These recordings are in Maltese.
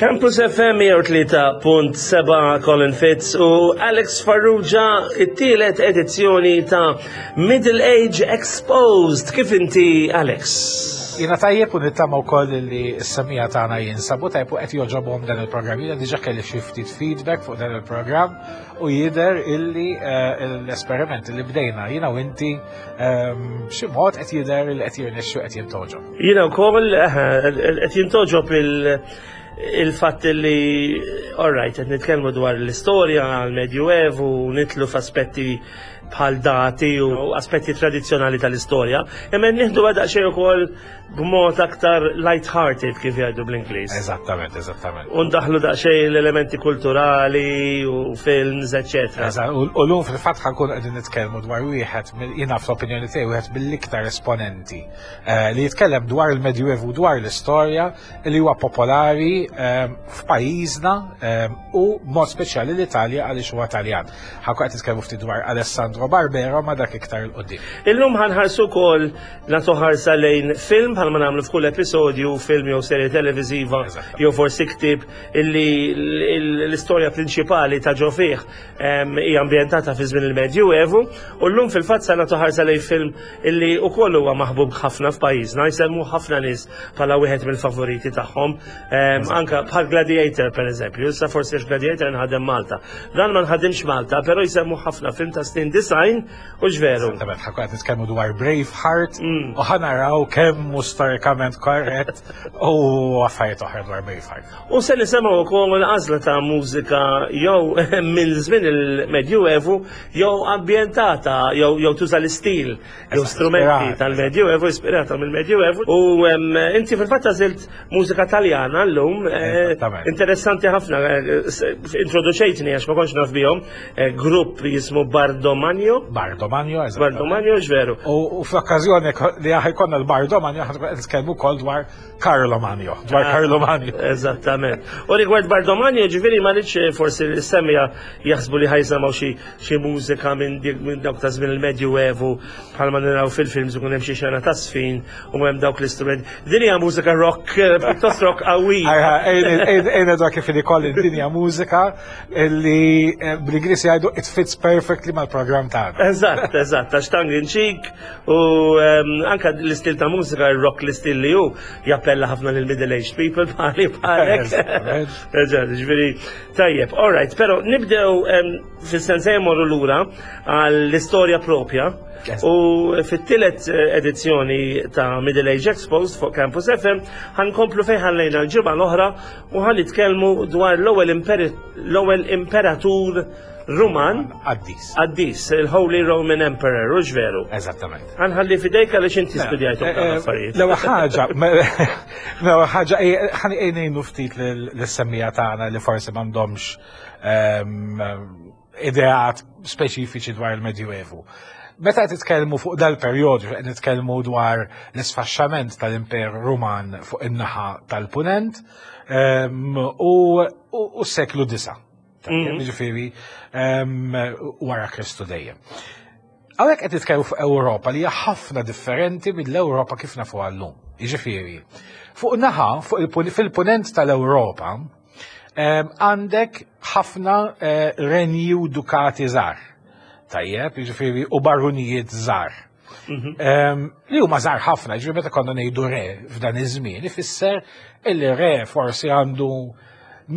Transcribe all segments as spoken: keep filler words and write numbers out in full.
Campus F M mija u tlieta punt seba', Colin Fitz u Alex Farrugia, it-tielet edizzjoni ta' Middle Age Exposed. Kif inti, Alex? Jiena tajjeb u nittama wkoll li s-semmiegħa tagħna jinsabu tajjeb u qed jogħġobhom dan il-programm. Jiena diġà kelli xi ftit feedback fuq dan il-programm u jidher illi eh, l-esperiment li bdejna jiena u inti ehm, b'xi mod qed jidher li qed jirnexxu, qed jintogħġob. Jiena wkoll eh, qed jintogħġob il- il-fatt li, all right, qed nitkellmu dwar l-istorja, l-Medjuevu, nidħlu f'aspetti bħal dati u aspetti tradizzjonali tal-istorja, imma nieħdu daqsxejn ukoll b'mod aktar light-hearted, kif jgħidu bl-Ingliż. Eżattament, eżattament. U ndaħlu daqsxejn l-elementi kulturali u films, eccetera. Eżatt, U u llum fil-fatt ħa nkunu qegħdin nitkellmu dwar wieħed mill- jiena fl-opinjoni tiegħi wieħed mill-iktar esponenti eh, li jitkellem dwar il-Medjuevu, dwar l-istorja, li huwa popolari eh, f'pajjiżna eh, u mod speċjali l-Italja, għaliex huwa Taljan. Ħa nkunu qed nitkellmu ftit dwar Alessandro Barbero, ma dak iktar 'il quddiem. Illum ħa nħarsu wkoll, nagħtu ħarsa lejn film, bħalma nagħmlu f'kull episodju, film jew serje televiżiva Eżatt. jew forsi ktib illi l- l-istorja prinċipali ta' ġo fih em, hija ambjentata fi żmien il-Medjuevu, u llum fil-fatt se nagħtu ħarsa lejn film illi wkoll huwa maħbub ħafna f'pajjiżna, jsemmu ħafna nies bħala wieħed mill-favoriti tagħhom, em, anka bħal Gladiator per eżempju. Issa forsi għax Gladiator nħadem Malta. Dan ma nħadimx Malta, però jsemmu ħafna, film ta' snin disgħin u ġveru. Eżattament, ħa nkunu qed nitkellmu dwar Braveheart Mm. u ħa naraw kemm hu storikament korrett u affarijiet oħra dwar Braveheart. U se nisimgħu wkoll għażla ta' mużika jew minn żmien il-Medjuevu jew ambjentata jew jew tuża l-istil jew Eżatt, strumenti ispirata. tal-Medjuevu, ispirata mill-Medjuevu. U em, inti fil-fatt għażilt mużika Taljana llum, eh, Eżattament. interessanti ħafna, eh, s- introduċejtni, għax ma kontx naf bihom, eh, grupp jismu Bardomagno. Bardomagno, eżattament. Bardomagno, ġveru. U u fl-okkażjoni li ħa jkollna l-Bardomagno, ħa nkunu nitkellmu wkoll dwar Carlo Magno, dwar Ah. Carlo Magno. Eżattament. U rigward Bardomagno, ġifieri ma rridx forsi l-semmiegħa jaħsbu li ħa jisimgħu xi xi mużika minn dik- minn dawk ta' żmien il-Medjuevu bħalma naraw fil-films, ikun hemm xi xena ta' sfin u hemm dawk l-istrument. Din hija mużika rock, eh, pjuttost rock qawwi. Ejna dwar kif li kolli dinja mużika li eh, bl-Ingliż jgħidu it fits perfectly mal-programm tagħna. Eżatt, eżatt, għax tongue in cheek u em, anka l-istil ta' mużika, il-rock, l-istil li hu jappella ħafna lil middle aged people bħali bħalek. Eżattament. Eżatt, ġifieri, tajjeb, all right, però nibdew em, fis-sens morru lura għall-istorja propja. Eżatt. U fit-tielet eh, edizzjoni ta' Middle Age Exposed fuq Campus F M ħa nkomplu fejn ħallejna l-ġimgħa l-oħra u ħa nitkellmu dwar l-ewwel imperi- l-ewwel imperatur Ruman Qaddis. Qaddis, il-Holy Roman Emperor, u ġveru. Eżattament. Ħa nħalli f'idejk għaliex inti studjajtu Eh, dawn eh, affarijiet. L-ewwel ħaġa, l-ewwel ħaġa ħa ngħinu ftit lis-semmiegħa tagħna li forsi m'għandhomx ehm, ideat speċifiċi dwar il-Medjuevu. Meta qed nitkellmu fuq dal-perjodu, qed nitkellmu dwar l-isfaxxament tal-Imperu Ruman fuq in-naħa tal-Punent ehm, u u s-seklu disa. Mhm. Ġifieri ehm, wara Kristu dejjem. Hawnhekk qed nitkellmu fuq Ewropa li hija ħafna differenti mill-Ewropa kif nafu llum. Jiġifieri, fuq naħa, fuq il fil-punent tal-Ewropa, em, għandek ħafna eh, renji u dukati żgħar. Tajjeb, jiġifieri, u barunijiet żgħar. Em, li huma żgħar ħafna, ġifieri meta konna ngħidu re f'dan iż-żmien, ifisser illi re forsi għandu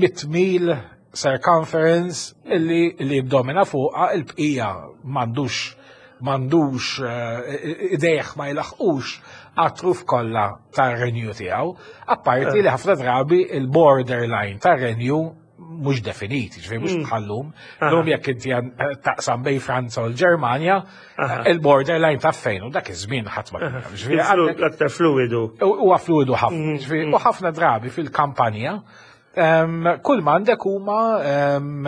mitt mil circumference illi li jiddomina fuqha, il-bqija m'għandux m'għandux eh, idejh ma jilaħqux għat-truf kollha tar-renju tiegħu, apparti li ħafna drabi il-borderline tar-renju mhux definiti, ġifieri mhux bħal-lum. Lum jekk inti għan- taqsam bejn Franza u l-Ġermanja, il-borderline ta' fejn u dak iż-żmien ħadd ma kien jaf. Ġifieri għandek- Aktar fluidu. Huwa fluidu ħafna. Ġifieri, u ħafna drabi fil-kampanja em, kull ma għandek huma em,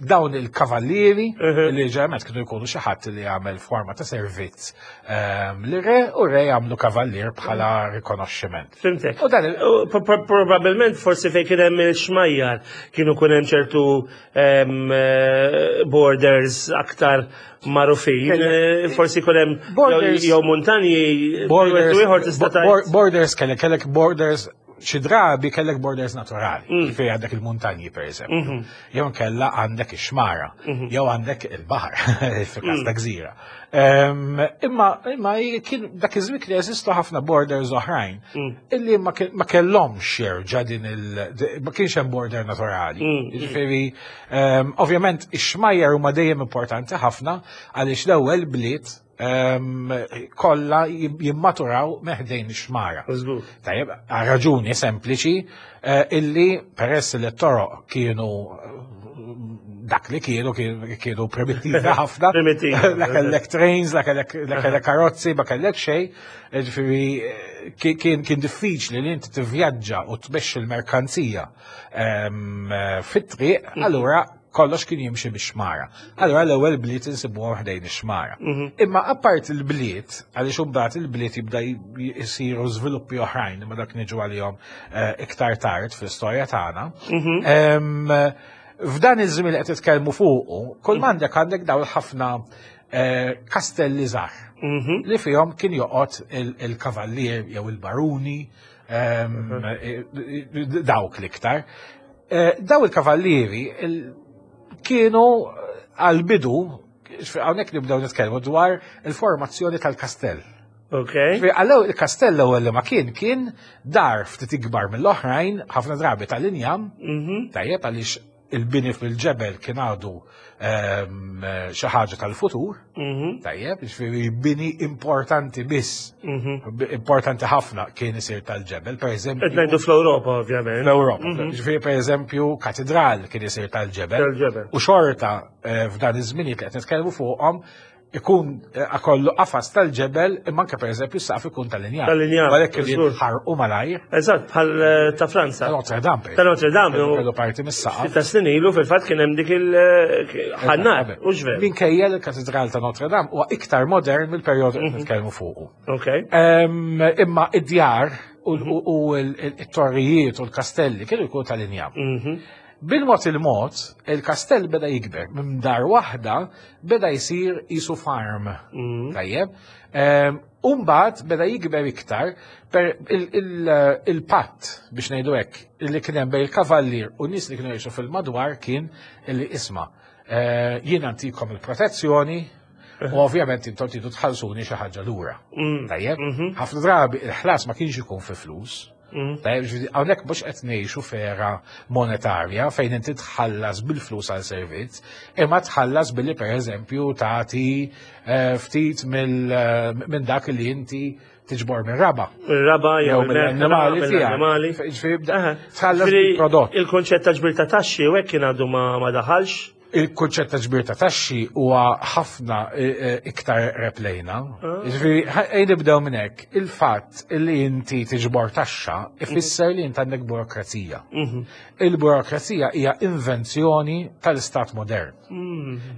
dawn il-kavallieri li ġeneralment kienu jkunu xi ħadd li jagħmel forma ta' servizz em, li re u re jagħmlu kavallier bħala rikonoxximent. Fhimtek. U dan il- U pro- pro- Probabilment forsi fejn kien hemm il-xmajjar kienu kun hemm ċertu em, eh, borders aktar magħrufin. Kelle- Eh, Forsi kun hemm Borders- jew- jew muntanji Borders, ieħor tista' bo- tgħid. borders kellek kellek borders Xi drabi kellek borders naturali, ġifieri għandek il-muntanji, per eżempju, jew kella għandek ix-xmara, jew għandek il-baħar, fil-każ ta' gżira. Em, Imma imma kien dak iż-żmien kien jeżistu ħafna borders oħrajn illi ma ke- ma kellhomx jerġa' din il ma kienx hemm border naturali. Ġifieri, em, ovvjament ix-xmajjar huma dejjem importanti ħafna, għaliex l-ewwel bliet em, kollha jimmaturaw ħdejn ix-xmara. Żgur. Tajjeb, għal raġuni sempliċi eh, illi peress li t-toroq kienu eh, dak li kienu kienu kienu primittivi ħafna. Primittivi. La kellek trains, la kellek la kellek karozzi, ma kellek xejn. Ġifieri eh, kien kien kien diffiċli li inti tivvjaġġa u tmexxi l-merkanzija em, eh, fit-triq, allura kollox kien jimxi bix-xmara. Allura l-ewwel bliet insibuhom ħdejn ix-xmara. Imma apart il-bliet, għaliex imbagħad il-bliet jibda jisiru żviluppi oħrajn, imma dak niġu għalihom eh, iktar tard fl-istorja tagħna. Em, F'dan iż-żmien li qed titkellmu fuqu, kull m'għandek għandek dawn ħafna eh, kastelli żgħar li fihom kien joqgħod il- il-kavallier jew il-baruni, em, eh, dawk l-iktar. Eh, Daw il-kavallieri il- kienu għal-bidu, hawnhekk nibdew nitkellmu dwar il-formazzjoni tal-kastell. Ok. Għallew il-kastell l-ewwel li ma kien kien dar ftit ikbar mill-oħrajn, ħafna drabi tal-injam, tajjeb, għaliex il-bini fil-ġebel kien għadu ehm, xi ħaġa tal-futur, tajjeb, ġifieri bini importanti biss, importanti ħafna kien isir tal-ġebel, per eżempju. Qed ngħidu fl-Ewropa, ovvjament. L-Ewropa. Ġifieri, per eżempju, katedral kien isir tal-ġebel. Tal-ġebel. U xorta eh, f'dan iż-żminijiet li qed nitkellmu fuqhom ikun eh, akollu qafas tal-ġebel, imma anke, per eżempju, s-saqaf ikun tal-injam. Tal-injam, Għalhekk kienu żgur. jitħarqu malajr. Eżatt, bħal eh, ta' Franza. Ta' Notre Dame, per Ta' Notre Dame. eżempju, kellu parti mis-saqaf. Ta' snin ilu fil-fatt kien hemm dik il-ħannar, u ġver. Minkejja l-katedral ta' Notre Dame huwa iktar modern mill-perjodu li nitkellmu fuqu. Ok. Em, Imma id-djar u u- u l-torrijiet u l-kastelli kienu jkunu tal-injam. Mhm. Bil-mod il-mod, il-kastell beda jikber. Minn dar waħda beda jisir jisu farm. Tajjeb. Em, Umbagħad beda jikber iktar per il- il- il-patt, biex ngħidu hekk, li kien hemm bejn il-kavallier u nies li kienu jgħixu fil-madwar kien li, "Isma', eh, jiena ntikom il-protezzjoni u ovvjament intom tridu tħallsuni xi ħaġa lura." Tajjeb, ħafna drabi il-ħlas ma kienx ikun fi flus. Tajjeb, ġifieri, hawnhekk mhux qed ngħixu f'era monetarja fejn inti tħallas bil-flus għal servizz, imma tħallas billi, pereżempju, tagħti eh, ftit mill- eh, minn dak li inti tiġbor minn raba. Il-raba jew Jew mill-annimali tiegħek. mill-annimali. Ġifieri bda- Aha. tħallas Ġifieri, bil-prodott. il-konċett ta' ġbir ta' taxxi u hekk kien għadu ma ma daħalx. Il-kunċett ta' ġbir ta' taxxi huwa ħafna eh, eh, iktar qrib lejna. Ġifieri, ejja nibdew minn hekk. Il-fatt li inti tiġbor taxxa ifisser li inti għandek burokrazija. Il-burokrazija hija invenzjoni tal-istat modern.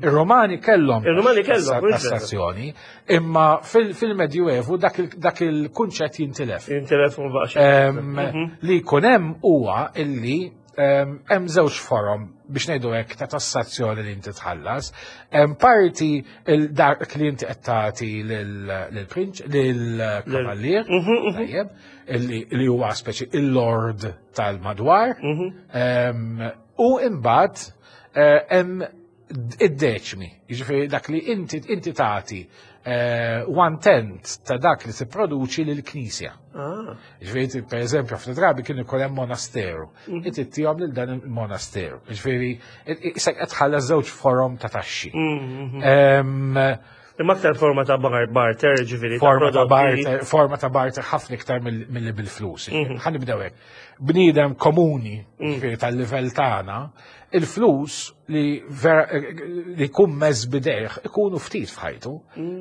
Ir-Romani kellhom Ir-Romani kellhom, mhux vera. tassazzjoni, imma fil- fil-Medjuevu dak il- dak il-kunċett jintilef. Intilef u baqx. Em, Li jkun hemm huwa illi em, hemm żewġ forom, biex ngħidu hekk, ta' tassazzjoni li inti tħallas. Hemm parti il-dak li inti qed tagħti lill-prinċ, lill-kavallier, tajjeb, illi li huwa speċi il-lord tal-madwar. Em, U imbagħad eh, hemm id-deċmi, jiġifieri dak li inti inti tagħti eh, one tenth ta' dak li tipproduċi lill-Knisja. Ah. Ġifieri, per eżempju, ħafna drabi kien ikun hemm monasteru. Inti ttihom lil dan il-monasteru. Ġifieri, issa qed tħallas żewġ forom ta' taxxi. Em, Imma aktar forma ta' bar barter, ġifieri. ta' Forma ta' prodotti. barter, forma ta' barter ħafna iktar mill- milli bil-flus. Ħa nibdew hekk. Bniedem komuni, ġifieri tal-livell tagħna, il-flus li vera li jkun mess b'idejh ikunu ftit f'ħajtu.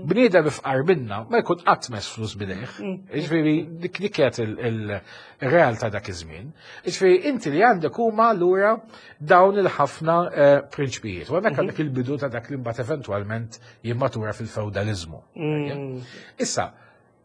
Bniedem ifqar minna ma jkun qatt mess flus b'idejh. Ġifieri dik dik kienet il- il- ir-realtà dak iż-żmien. Ġifieri inti li għandek huma allura dawn il-ħafna eh, prinċpijiet. U hemmhekk għandek il-bidu ta' dak li mbagħad eventwalment jimmatura fil-feudalizmu. Issa,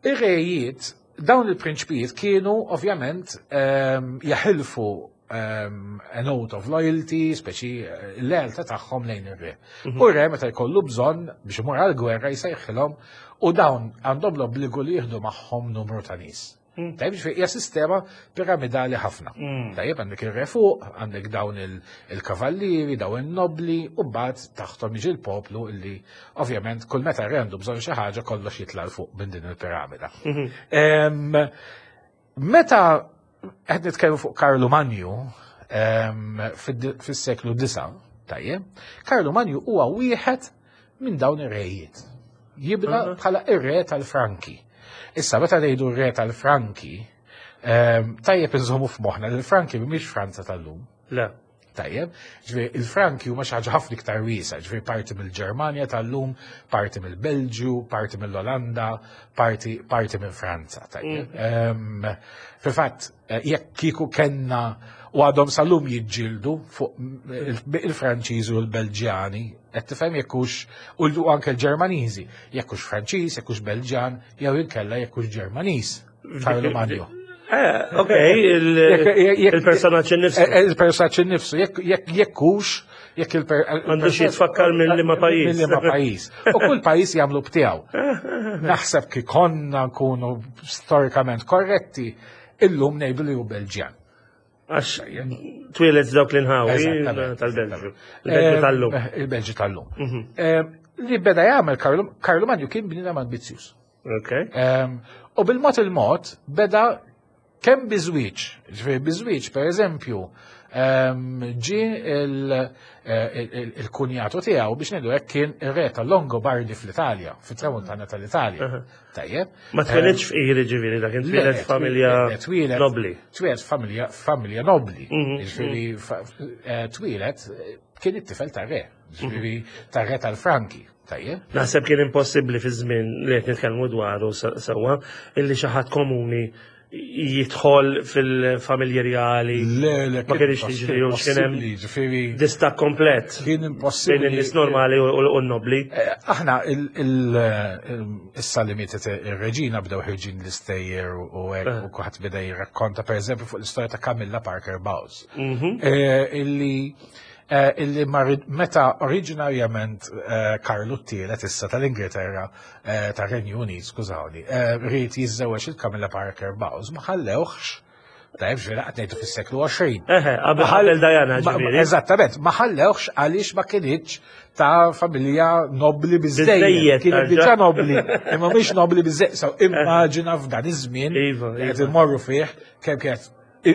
ir-rejiet, dawn il-prinċpijiet kienu ovvjament ehm, jaħilfu um, an oath of loyalty, speċi eh, l-lealtà tagħhom lejn ir-re. U r-re, meta jkollu bżonn biex imur għal-gwerra, jsejħilhom u dawn għandhom l-obbligu li jieħdu magħhom numru ta' nies. Tajjeb, ġifieri hija sistema piramidali ħafna. Tajjeb, għandek ir-re fuq, għandek dawn il- il-kavallieri, dawn il-nobli, u mbagħad taħtom jiġi l-poplu illi ovvjament kull meta re għandu bżonn xi ħaġa kollox jitla' 'l fuq minn din il-piramida. Em, Meta qed nitkellmu fuq Karlu Manju em, fid- fis-seklu disa, tajjeb, Karlu Manju huwa wieħed minn dawn ir-rejiet. Jibda bħala ir-re tal-Franki. Issa meta ngħidu r-re tal-Franki, em, tajjeb inżommu f'moħħna li l-Franki mhumiex Franza tal-lum. Le. Tajjeb, ġifieri il-Franki huma xi ħaġa ħafna iktar wiesgħa, ġifieri parti mill-Ġermanja tal-lum, parti mill-Belġju, parti mill-Olanda, parti parti minn Franza. Tajjeb. Em, Fil-fatt, eh, jekk kieku kellna u għadhom sal-lum jiġġieldu fuq il- il-Franċiżi u l-Belġjani, qed tifhem jekk hux u anke l-Ġermaniżi, jekk hux Franċiż, jekk hux Belġjan, jew inkella jekk hux Ġermaniż. Karlu Manju. Eh, ok, il-personaġġ innifsu. Eh, Il-personaġġ innifsu, jekk jekk jekk hux, jekk il M'għandux jitfakkar minn liema pajjiż. Minn liema pajjiż. U kull pajjiż jagħmlu btiegħu. Naħseb kif konna nkunu storikament korretti, illum ngħidu li hu Belġjan. Għax twieled dawk l-inħawi Eżattament. tal-Belġju. Il-Belġju tal-lum. Eh, Il-Belġju tal-lum. Eh, Li beda jagħmel Karlu Karlu Manju kien bniedem ambizzjuż. Ok. Em, U bil-mod il-mod beda kemm biżwieġ, ġifieri biżwieġ per eżempju, em, ġie il- eh, il- il-kunjatu tiegħu biex ngħidu hekk kien ir-re tal-Longobardi fl-Italja, fit-tramuntana tal-Italja. Tajjeb. Ma twelidx fqir ġifieri dak, twieled Le, familja le, twieled- nobli. Twieled familja familja nobli. Mhm, Ġifieri fa- eh, twieled eh, kien it-tifel tar-re, ġifieri tar-re tal-Franki. Tajjeb. Naħseb kien impossibbli fi żmien li qed nitkellmu dwaru se- sewwa illi xi ħadd komuni jidħol fil-familji reali. Le, le, Ma kienx jiġri u x'kien hemm Ġifieri distakk komplet kien bejn impossibbli. in-nies normali u u n-nobli. Eh, Aħna il- il- il- issa li mietet ir-reġina bdew ħirġin l-istejjer u hekk u kulħadd beda jirrakkonta pereżempju fuq l-istorja ta' Camilla Parker Bowles. Mhm. Eh, Illi eh, illi mar- meta oriġinarjament eh, Karlu t-tielet issa tal-Ingilterra eh, tar-Renju Unit, skużawni, eh, ried jiżżewweġ il-Camilla Parker Bowles, ma ħallewhx. Tajb, ġifieri qed ngħidu fis-seklu għoxrin. Eħe, qabel qabel Diana Ma- ġifieri. Eżattament, ma ħallewx għaliex ma kinitx ta' familja nobli biżejjed. Biżejjed, Kienet tarġa'. diġà nobli, imma mhix nobli biżejjed. So immaġina f'dan iż-żmien Iva, li qed iva. immorru fih kemm kienet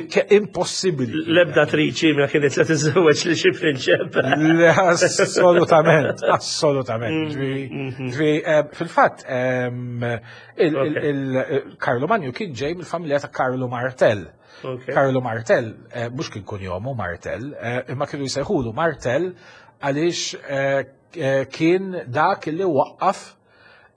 ke- impossibbli. L-ebda attriċi ma kienet se tiżżewweġ li xi prinċep. Le, Assolutament, assolutament. Mm, Ġifieri, mhm. ġifieri, eh, Fil-fatt, ehm, il- il- Ok. il- Karlu Manju kien ġej mill-familja ta' Karlu Martell. Ok. Karlu Martell, eh, mhux kien kunjomu Martell, eh, imma kienu jsejħulu Martell għaliex eh, eh, kien dak li waqqaf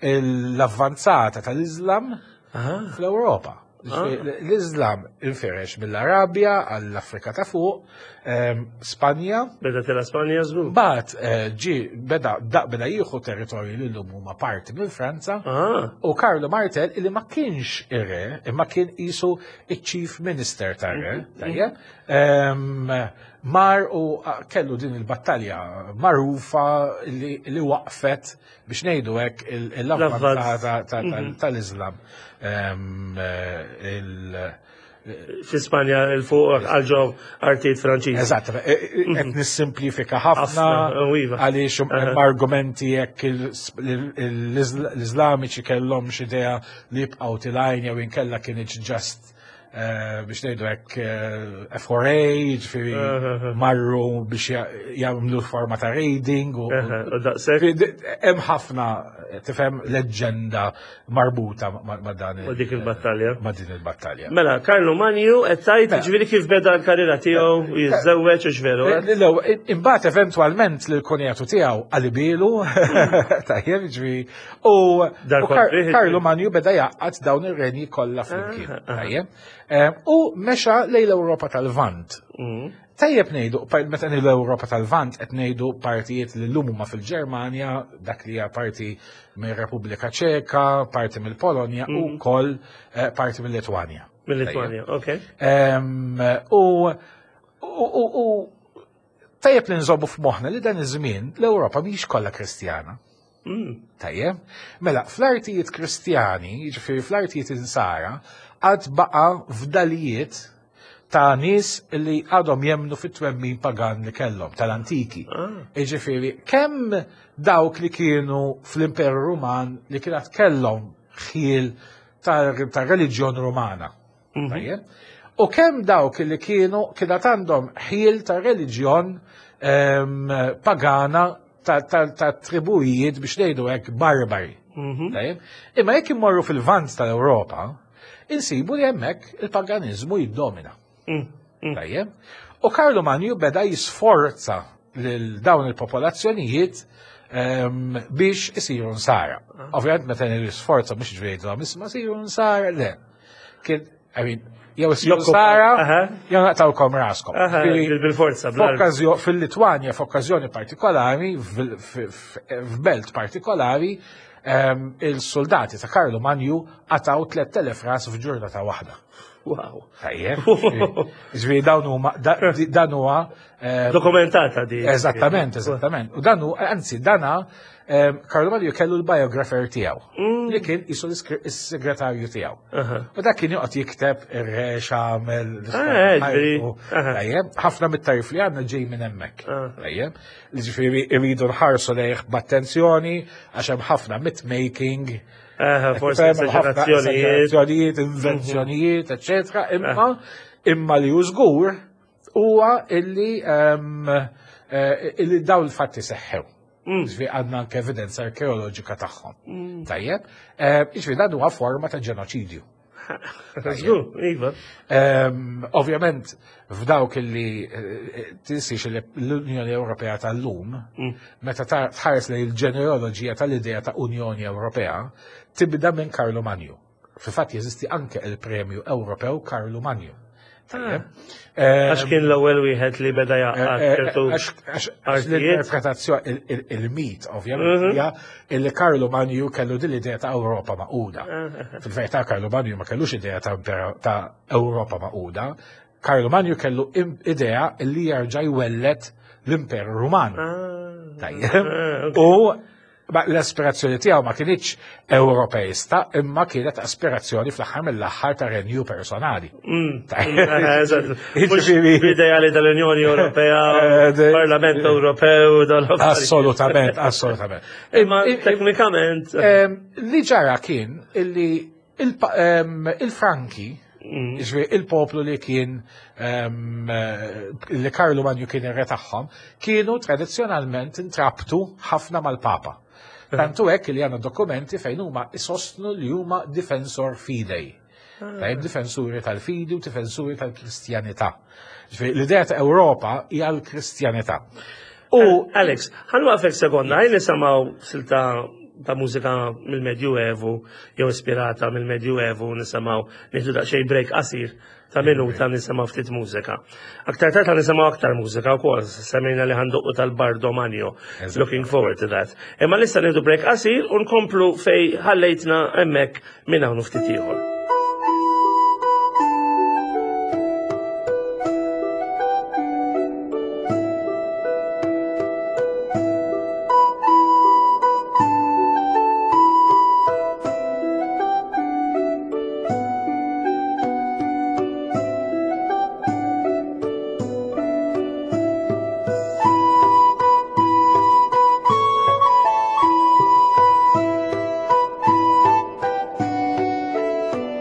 l-avvanzata tal-Islam Ah, fl-Ewropa. Ġifieri, L-Islam infirex mill-Arabja għall-Afrika ta' fuq, ehm, Spanja, beda tela Spanja żgur. Bat ġi beda da beda jieħu territorju li llum huma parti minn Franza Ah, u Karlo Martell illi ma kienx ir-re, imma kien qisu iċ-chief minister tar-re, tajjeb, em, mar u ah, kellu din il-battalja magħrufa li, li waqfet biex ngħidu hekk il- l-avvanzata ta- ta- tal-Islam. Em, eh, il- fi Spanja 'l fuq għal ġo artijiet Franċiżi. Eżatt, e- e- qed nissimplifika ħafna Ħafna, u iva. għaliex hemm argumenti jekk il- il- l-Iżlamiċi kellhom xi idea li jibqgħu tilgħin jew inkella kienx just eh, biex ngħidu hekk eh, F four A, ġifieri marru biex ja- jagħmlu forma ta' raiding u Eħe, u daqshekk. Ġifieri, hemm ħafna tifhem leġġenda marbuta ma' ma' dan il- U dik il-battalja. ma' din il-battalja. Mela, Karlu Manju, qed tgħid Mela. ġifieri kif beda l-karriera tiegħu jiżżewweġ u x'veru. eh? L-ewwel, imbagħad eventwalment lil kunjatu tiegħu qalibielu, tajjeb, ġifieri, u Dar u Kar- kontrih, Karlu Manju beda jgħaqqad dawn ir-renji kollha flimkien. Ah, ah. Tajjeb. Eh, U mexa lejn l-Ewropa tal-Lvant. Mm. Tajjeb ngħidu, pa- meta ngħidu l-Ewropa tal-Lvant qed ngħidu partijiet li llum huma fil-Ġermanja, dak li hija parti mir-Repubblika Ċeka, parti mill-Polonja u wkoll eh, parti mill-Litwanja. Mill-Litwanja, ok. Em, U u u u tajjeb li nżommu f'moħħna li dan iż-żmien l-Ewropa mhix kollha Kristjana. Mm. Tajjeb? Mela, fl-artijiet Kristjani, jiġifieri fl-artijiet Insara, għad baqa fdalijiet ta' nies li għadhom jemnu fit-twemmin pagan li kellhom tal-antiki. Ah. Jiġifieri, kemm dawk li kienu fl-Imperu Ruman li kienet kellhom ħiel tar-reliġjon Rumana. Mhm. Tajjeb? U kemm dawk li kienu kienet għandhom ħiel ta' reliġjon ehm, pagana ta', ta, ta tribujiet biex ngħidu hekk barbari. Mhm. Tajjeb? Imma jekk immorru fil-vant tal-Ewropa, insibu li hemmhekk il-paganiżmu jiddomina. Mm. Mm. Tajjeb? U Karlu Manju beda jisforza lil dawn il-popolazzjonijiet ehm, biex isiru nsara. Ovvjament meta jisforza mhux ġifieri jgħidulhom isma' siru nsara, le. Kien, I mean, jew isiru Jokkupa- nsara, Aha. jew naqtawkom raskom. Aha, Ġifieri, bil-forza, bl-armi. F'okkażjo- Fil-Litwanja, f'okkażjoni partikolari, fil- f- f- f'belt partikolari, ehm, il-soldati ta' Karlu Manju qataw tliet elef ras f'ġurnata waħda. Wow. Tajjeb. Ġifieri dawn huma da- di- dan huwa ehm, Dokumentata di. Eżattament, eżattament. U dan hu, anzi, dana ehm, Karlu Manju kellu l-biografer tiegħu li kien isu l-segretarju tiegħu. Aha. U dak kien joqgħod jikteb ir-re x'għamel, Ah, ġifieri, aha. Tajjeb, ħafna mit-tarif li għandna ġej minn hemmhekk. Ah. Tajjeb, li ġifieri rridu nħarsu lejh b'attenzjoni għax hemm ħafna myth-making. Aha, forsi Hemm ħafna esagerazzjonijiet. esagerazzjonijiet, invenzjonijiet, eċetera. Imma imma li hu żgur huwa illi ehm, eh, illi dawn il-fatti seħħew. Mm. Ġifieri għandna anke evidenza arkeoloġika tagħhom. Tajjeb, eh, ġifieri dan huwa forma ta' ġenoċidju. Żgur, iva. Ehm, Ovvjament, f'dawk illi eh, tinsiex li l-Unjoni Ewropea tal-lum, Mm. meta ta- tħares lejn il-ġenealoġija tal-idea ta' Unjoni Ewropea, tibda minn Karlu Manju. Fil-fatt jeżisti anke il-Premju Ewropew Karlu Manju. Tajjeb. Ehm, Għax kien l-ewwel wieħed li beda eh, jaqgħad eh, ċertu għax- għax- għax artijiet. L-interpretazzjoni, il- il- il-mit, ovvjament, Mhm. hija illi Karlu Manju kellu din l-idea ta' Ewropa maquda. Ah, Fil-verità Karlu Manju ma kellux idea ta' impera- ta' Ewropa maquda. Karlu Manju kellu im- idea li jerġa' jwellet l-Imperu Ruman. Ah. Tajjeb. Ah, ok. U ma l-aspirazzjoni tiegħu ma kinitx Ewropeista, imma kienet aspirazzjoni fl-aħħar mill-aħħar ta' renju personali. Mm. Tajjeb. Ah, eżatt. Mhux Jiġifieri- L-ideali tal-Unjoni Ewropea, Eh, de- Parlament Ewropew, dal-affarijiet. Assolutament, assolutament. Imma teknikament. Em, Li ġara kien illi il-pa- em, il-Franki, Mm. ġifieri il-poplu li kien em, eh, li Karlu Manju kien ir-re tagħhom, kienu tradizzjonalment intrabtu ħafna mal-Papa. Tantu hekk li għandna dokumenti fejn huma isostnu li huma difensor fidei. Tajjeb, difensuri tal-fidi u difensuri tal-Kristjanità. Ġifieri, L-idea ta' Ewropa hija l-Kristjanità. U Alex, ħanwaqfek sekonda, ħajn nisimgħu silta ta' mużika mill-Medjuevu, jew ispirata mill-Medjuevu, nisimgħu nieħdu daqsxejn break qasir ta' minuta nisimgħu ftit mużika. Aktar tard nisimgħu aktar mużika wkoll, semmejna li ħanduqqu tal-Bardo Magno. Eżatt. Looking forward to that. Imma issa nieħdu break qasir u nkomplu fej ħallejtna hemmhekk minn hawn u ftit ieħor. Thank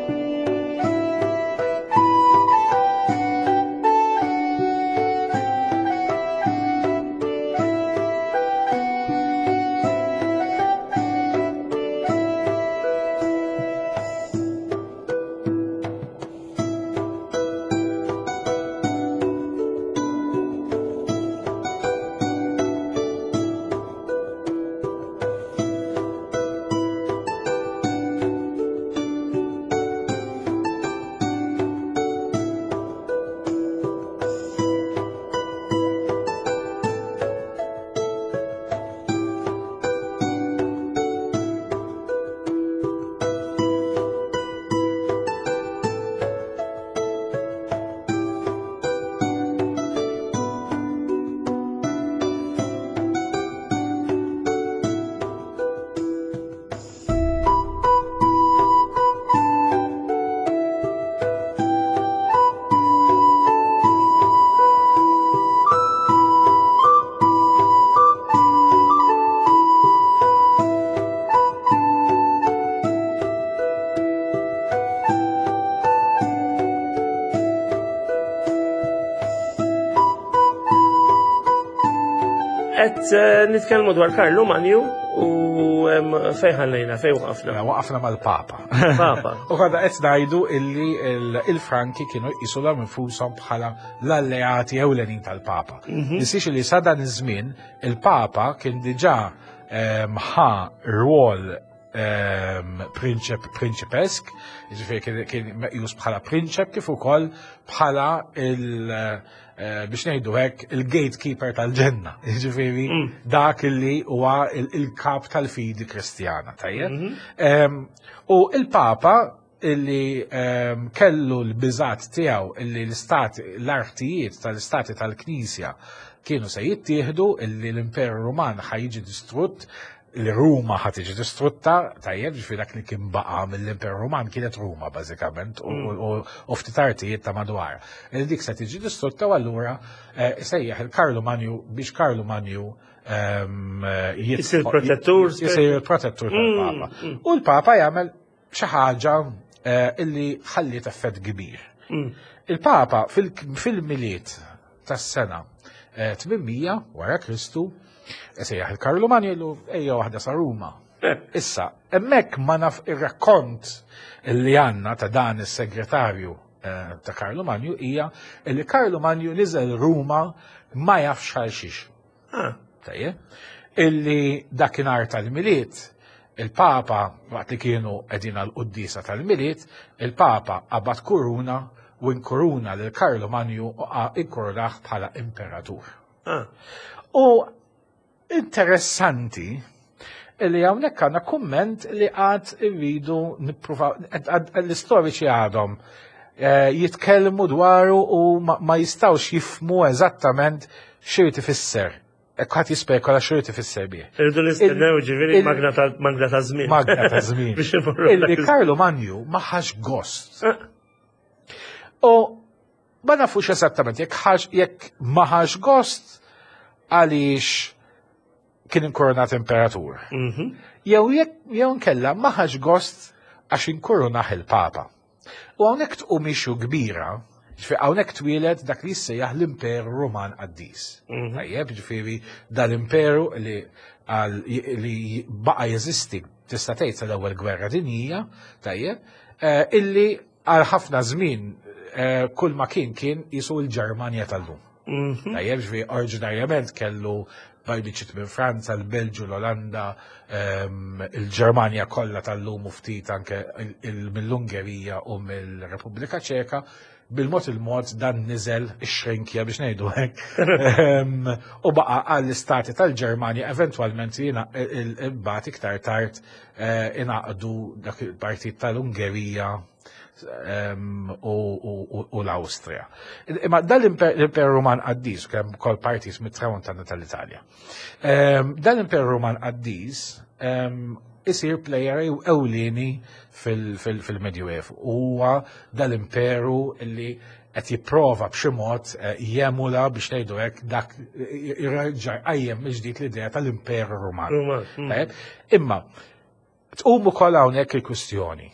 Qed eh, nitkellmu dwar Karlu Manju u em, fejn ħallejna, fejn waqafna. Mela, waqafna mal-Papa. Papa. U għada qed ngħidu illi il- il-Franki kienu jqisuhom infushom bħala l-alleati ewlenin tal-Papa. Ninsiex li sa dan iż-żmien il-Papa kien diġà ehm, ħa rwol ehm, prinċep prinċipesk, jiġifieri kien, kien meqjus bħala prinċep kif ukoll bħala il eh, biex ngħidu hekk il-gatekeeper tal-ġenna, jiġifieri dak illi huwa il- il-kap tal-fidi kristjana, tajjeb? Em, U il-Papa illi em, kellu l-biżat tiegħu illi l-istati l-artijiet tal-istati tal-Knisja kienu se jittieħdu illi l-Imperu Ruman ħa jiġi distrutt li Ruma ħa tiġi distrutta, tajjeb, ġifieri dak li kien baqa mill-Imperu Ruman kienet Ruma bażikament u, u, u ftit artijiet ta' madwar. Li dik se tiġi distrutta u allura eh, sejjaħ il-Karlu Manju biex Karlu Manju ehm, jitħol- Isir protettur, Isir il-protettur tal-Papa. U l-Papa jagħmel xi ħaġa eh, illi ħalliet effett kbir. Il-Papa fil- fil-Milied tas-sena eh, tmien mija wara Kristu sejjaħ il-Karlu Manju ejja waħda sa Ruma. Issa, hemmhekk ma naf ir-rakkont li għandna ta' dan is-segretarju eh, ta' Karlu Manju hija li Karlu Manju niżel Ruma ma jafx għal xiex. Ah, Tajjeb. Illi dakinhar tal-Milied, il-Papa, waqt li kienu qegħdin għal-quddisa tal-Milied, il-Papa qabad kuruna u inkuruna lil Karlu Manju u inkurunah bħala imperatur. ah. U interessanti illi hawnhekk għandna kumment li għad irridu nippruvaw, l-istoriċi għadhom eh, jitkellmu dwaru u ma, ma jistawx jifhmu eżattament x'irid ifisser. Ħadd jispekola x'irid ifisser bih. Irridu nistennew ġifieri il- magna ta' magna ta' żmien. Magna ta' żmien. Biex imorru Illi dak Karlu Manju ma ħax gost. Ah. U ma nafux eżattament jekk ħax jekk ma ħax gost għaliex kien inkoronat imperatur. Mhm. Jew jekk jew nkella ma ħax gost għax inkoronah il-Papa. U hawnhekk tqum issue kbira, ġifieri hawnhekk twieled dak li jissejjaħ l-Imperu Ruman Qaddis. Tajjeb, ġifieri dal-imperu li għal li baqa jeżisti tista' tgħid sal-ewwel gwerra dinjija, tajjeb, eh, illi għal ħafna żmien eh, kull ma kien kien jisu l-Ġermanja tal-lum. Mhm. Tajjeb, ġifieri oriġinarjament kellu biċċiet minn Franza, l-Belġu, l-Olanda, ehm, il-Ġermanja kollha tal-lum u ftit anke il- il- mill-Ungerija u mill-Repubblika Ċeka, bil-mod il-mod dan niżel ix-xrinkja biex ngħidu hekk. Ehm, U baqa għall-istati tal-Ġermanja eventwalment jiena imbagħad iktar tard eh, ingħaqdu dak il-partit tal-Ungerija ehm, u, u, u, u l-Awstrija. Imma dal-Imperu Ruman Qaddis, kemm kol partit mit-tramuntana tal-Italja. Ehm, Dal-Imperu Ruman Qaddis ehm, isir player ewlieni fil-Medjuevu. Huwa dal-imperu illi qed jipprova b'xi mod eh, jemula biex ngħidu hekk dak irreġa' qajjem mill-ġdid l-idea tal-Imperu Ruman. Ruman, mm. Tajjeb? Imma tqum ukoll hawnhekk il-kwistjoni.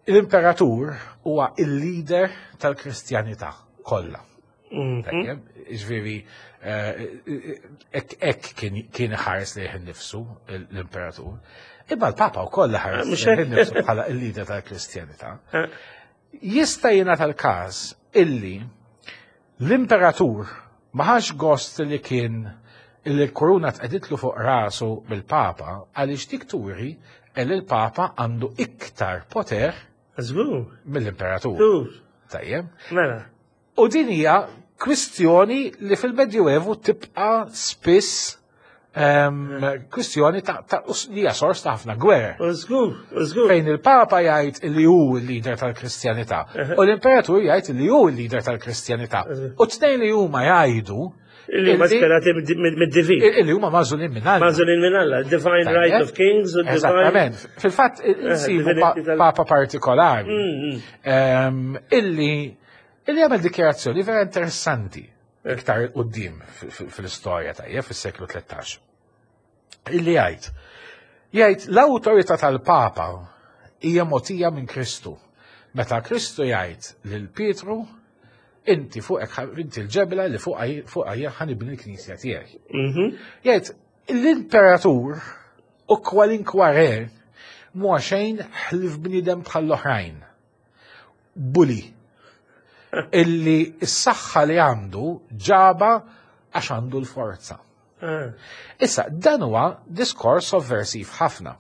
L-imperatur huwa il-leader tal-Kristjanità kollha. Mhm. Tajjeb, ġifieri, hekk kien kien ħares lejh innifsu l-imperatur. Imma l-Papa wkoll ħares Mhux lejh hekk. innifsu bħala il-leader tal-Kristjanità. Eh, Jista' jingħata l-każ illi l-imperatur ma ħax gost li kien illi l-kuruna tqegħditlu fuq rasu bil-Papa għaliex dik turi li l-Papa għandu iktar poter Żgur. mill-imperatur. Żgur. Tajjeb. Mela. U din hija kwistjoni li fil-Medjuevu tibqa' spiss em, kwistjoni ta' ta' li hija sors ta' ħafna gwerer. U żgur, u żgur. Fejn il-Papa jgħid li hu l-leader tal-Kristjanità u l-Imperatur jgħid li hu l-leader tal-Kristjanità. U t-tnejn li huma jgħidu Illi huma sperati mid-divin. illi huma magħżulin minn Alla. Magħżulin minn Alla. Divine right of kings u divine. Eżattament. Fil-fatt insibu divinity tal- papa partikolari Mm, mm. em, illi illi għamel dikjarazzjoni vera interessanti iktar quddiem fil-istorja tajjeb fis-seklu tlettax. Illi jgħid jgħid l-awtorità tal-Papa hija mogħtija minn Kristu. Meta Kristu jgħid lil Pietru Inti fuqek inti l-ġebla li fuqha ħa nibni l-knisja tiegħi. Mhm. Jgħid, l-imperatur u kwalinkwa re mhu xejn ħlief bniedem bħall-oħrajn. Bully. Illi s-saħħa li għandu ġaba għax għandu l-forza. Ah. Issa, dan huwa diskors sovversiv ħafna.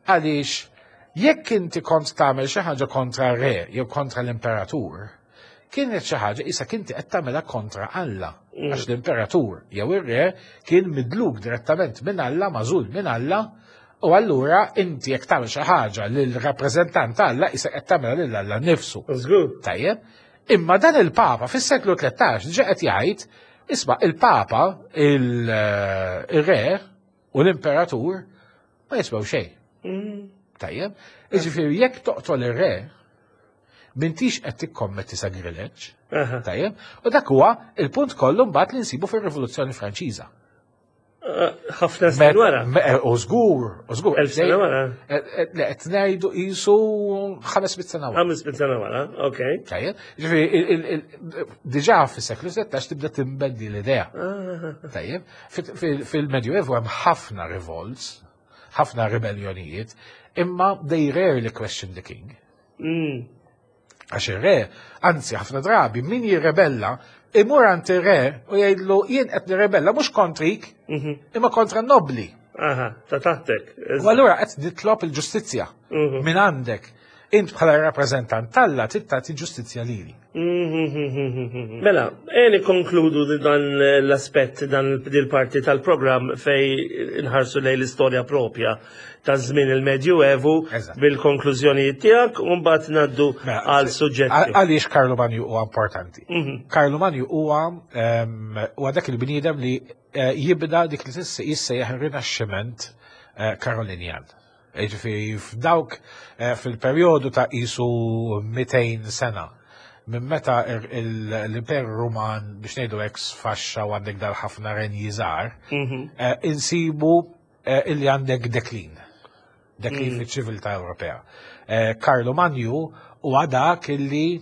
Għaliex, jekk inti kont tagħmel xi ħaġa kontra re jew kontra l-imperatur, kienet xi ħaġa issa kinti qed tagħmilha kontra Alla. Għax l-imperatur jew ir-re kien midluk direttament minn Alla, magħżul minn Alla, u allura inti jekk tagħmel xi ħaġa lil rappreżentant Alla issa qed tagħmilha lil Alla nnifsu. Żgur. Tajjeb, imma dan il-Papa fis-seklu tlettax ġa qed jgħid, isma', il-Papa, il-re u l-Imperatur ma jiswew xejn. Mm. Tajjeb, jiġifieri jekk toqtol ir-re, m'intix qed tikkommetti sagrileġġ. Aha. Tajjeb, u dak huwa il-punt kollu mbagħad li nsibu fir-Rivoluzzjoni Franċiża. Ah, ħafna snin wara. Me- U żgur, u żgur. Elf sena wara. Eh, eh, Le, qed ngħidu qisu ħames mitt sena wara. Ħames mitt sena wara, okej. Tajjeb, ġifieri, il- il- il- diġà fis-seklu sittax tibda tinbidel l-idea. Ah. Tajjeb, fil- fil-Medjuevu hemm ħafna revolts, ħafna rebellionijiet, imma they rarely question the king. Mm. Għax ir-re, anzi ħafna drabi, min jirrebella, imur għand ir-re u jgħidlu: "Jien qed nirrebella mhux kontrik, Mhm. imma kontra n-nobli." Aha, ta' taħtek. U allura qed nitlob il-ġustizzja Mhm. minn għandek. Int bħala rappreżentant t'Alla trid tagħti ġustizzja lili. Mhm. Mela, e nikkonkludu di dan l-aspett, dan dil-parti tal-programm fej nħarsu lejn l-istorja propja ta' żmien il-Medjuevu Eżatt. bil-konklużjonijiet tiegħek u mbagħad ngħaddu Mela, għal suġġetti. Għaliex Karlu Manju huwa importanti? Mhm. Karlu Manju huwa em, huwa dak il-bniedem li eh, jibda dik li tisse jissejjaħ ir-Rinaxximent eh, Karolinjan. Ġifieri f'dawk eh, fil-perjodu ta' qisu mitejn sena minn meta ir- il- l-Imperu Ruman, biex ngħidu hekk, sfaxxa u għandek dal-ħafna renji żgħar, Mhm. eh, insibu eh, illi għandek deklin. Deklin fiċ-ċiviltà Ewropea. Eh, Karlu Manju huwa dak illi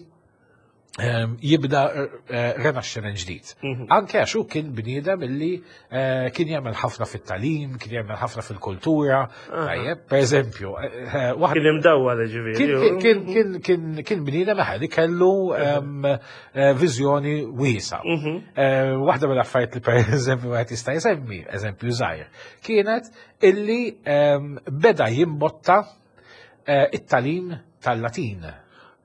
ehm, jibda eh, renaxximent ġdid. Anke għax hu kien bniedem illi eh, kien jagħmel ħafna fit-tagħlim, kien jagħmel ħafna fil-kultura. Tajjeb, per eżempju, eh, eh, waħda Kien imdawwa ġifieri. kien kien kien kien kien bniedem eħe li kellu ehm, eh, viżjoni wiesa. Mhm. Eh, Waħda mill-affarijiet li per eżempju wieħed jista' jsemmi, eżempju żgħir, kienet illi ehm, beda jimbotta eh, it-tagħlim tal-Latin.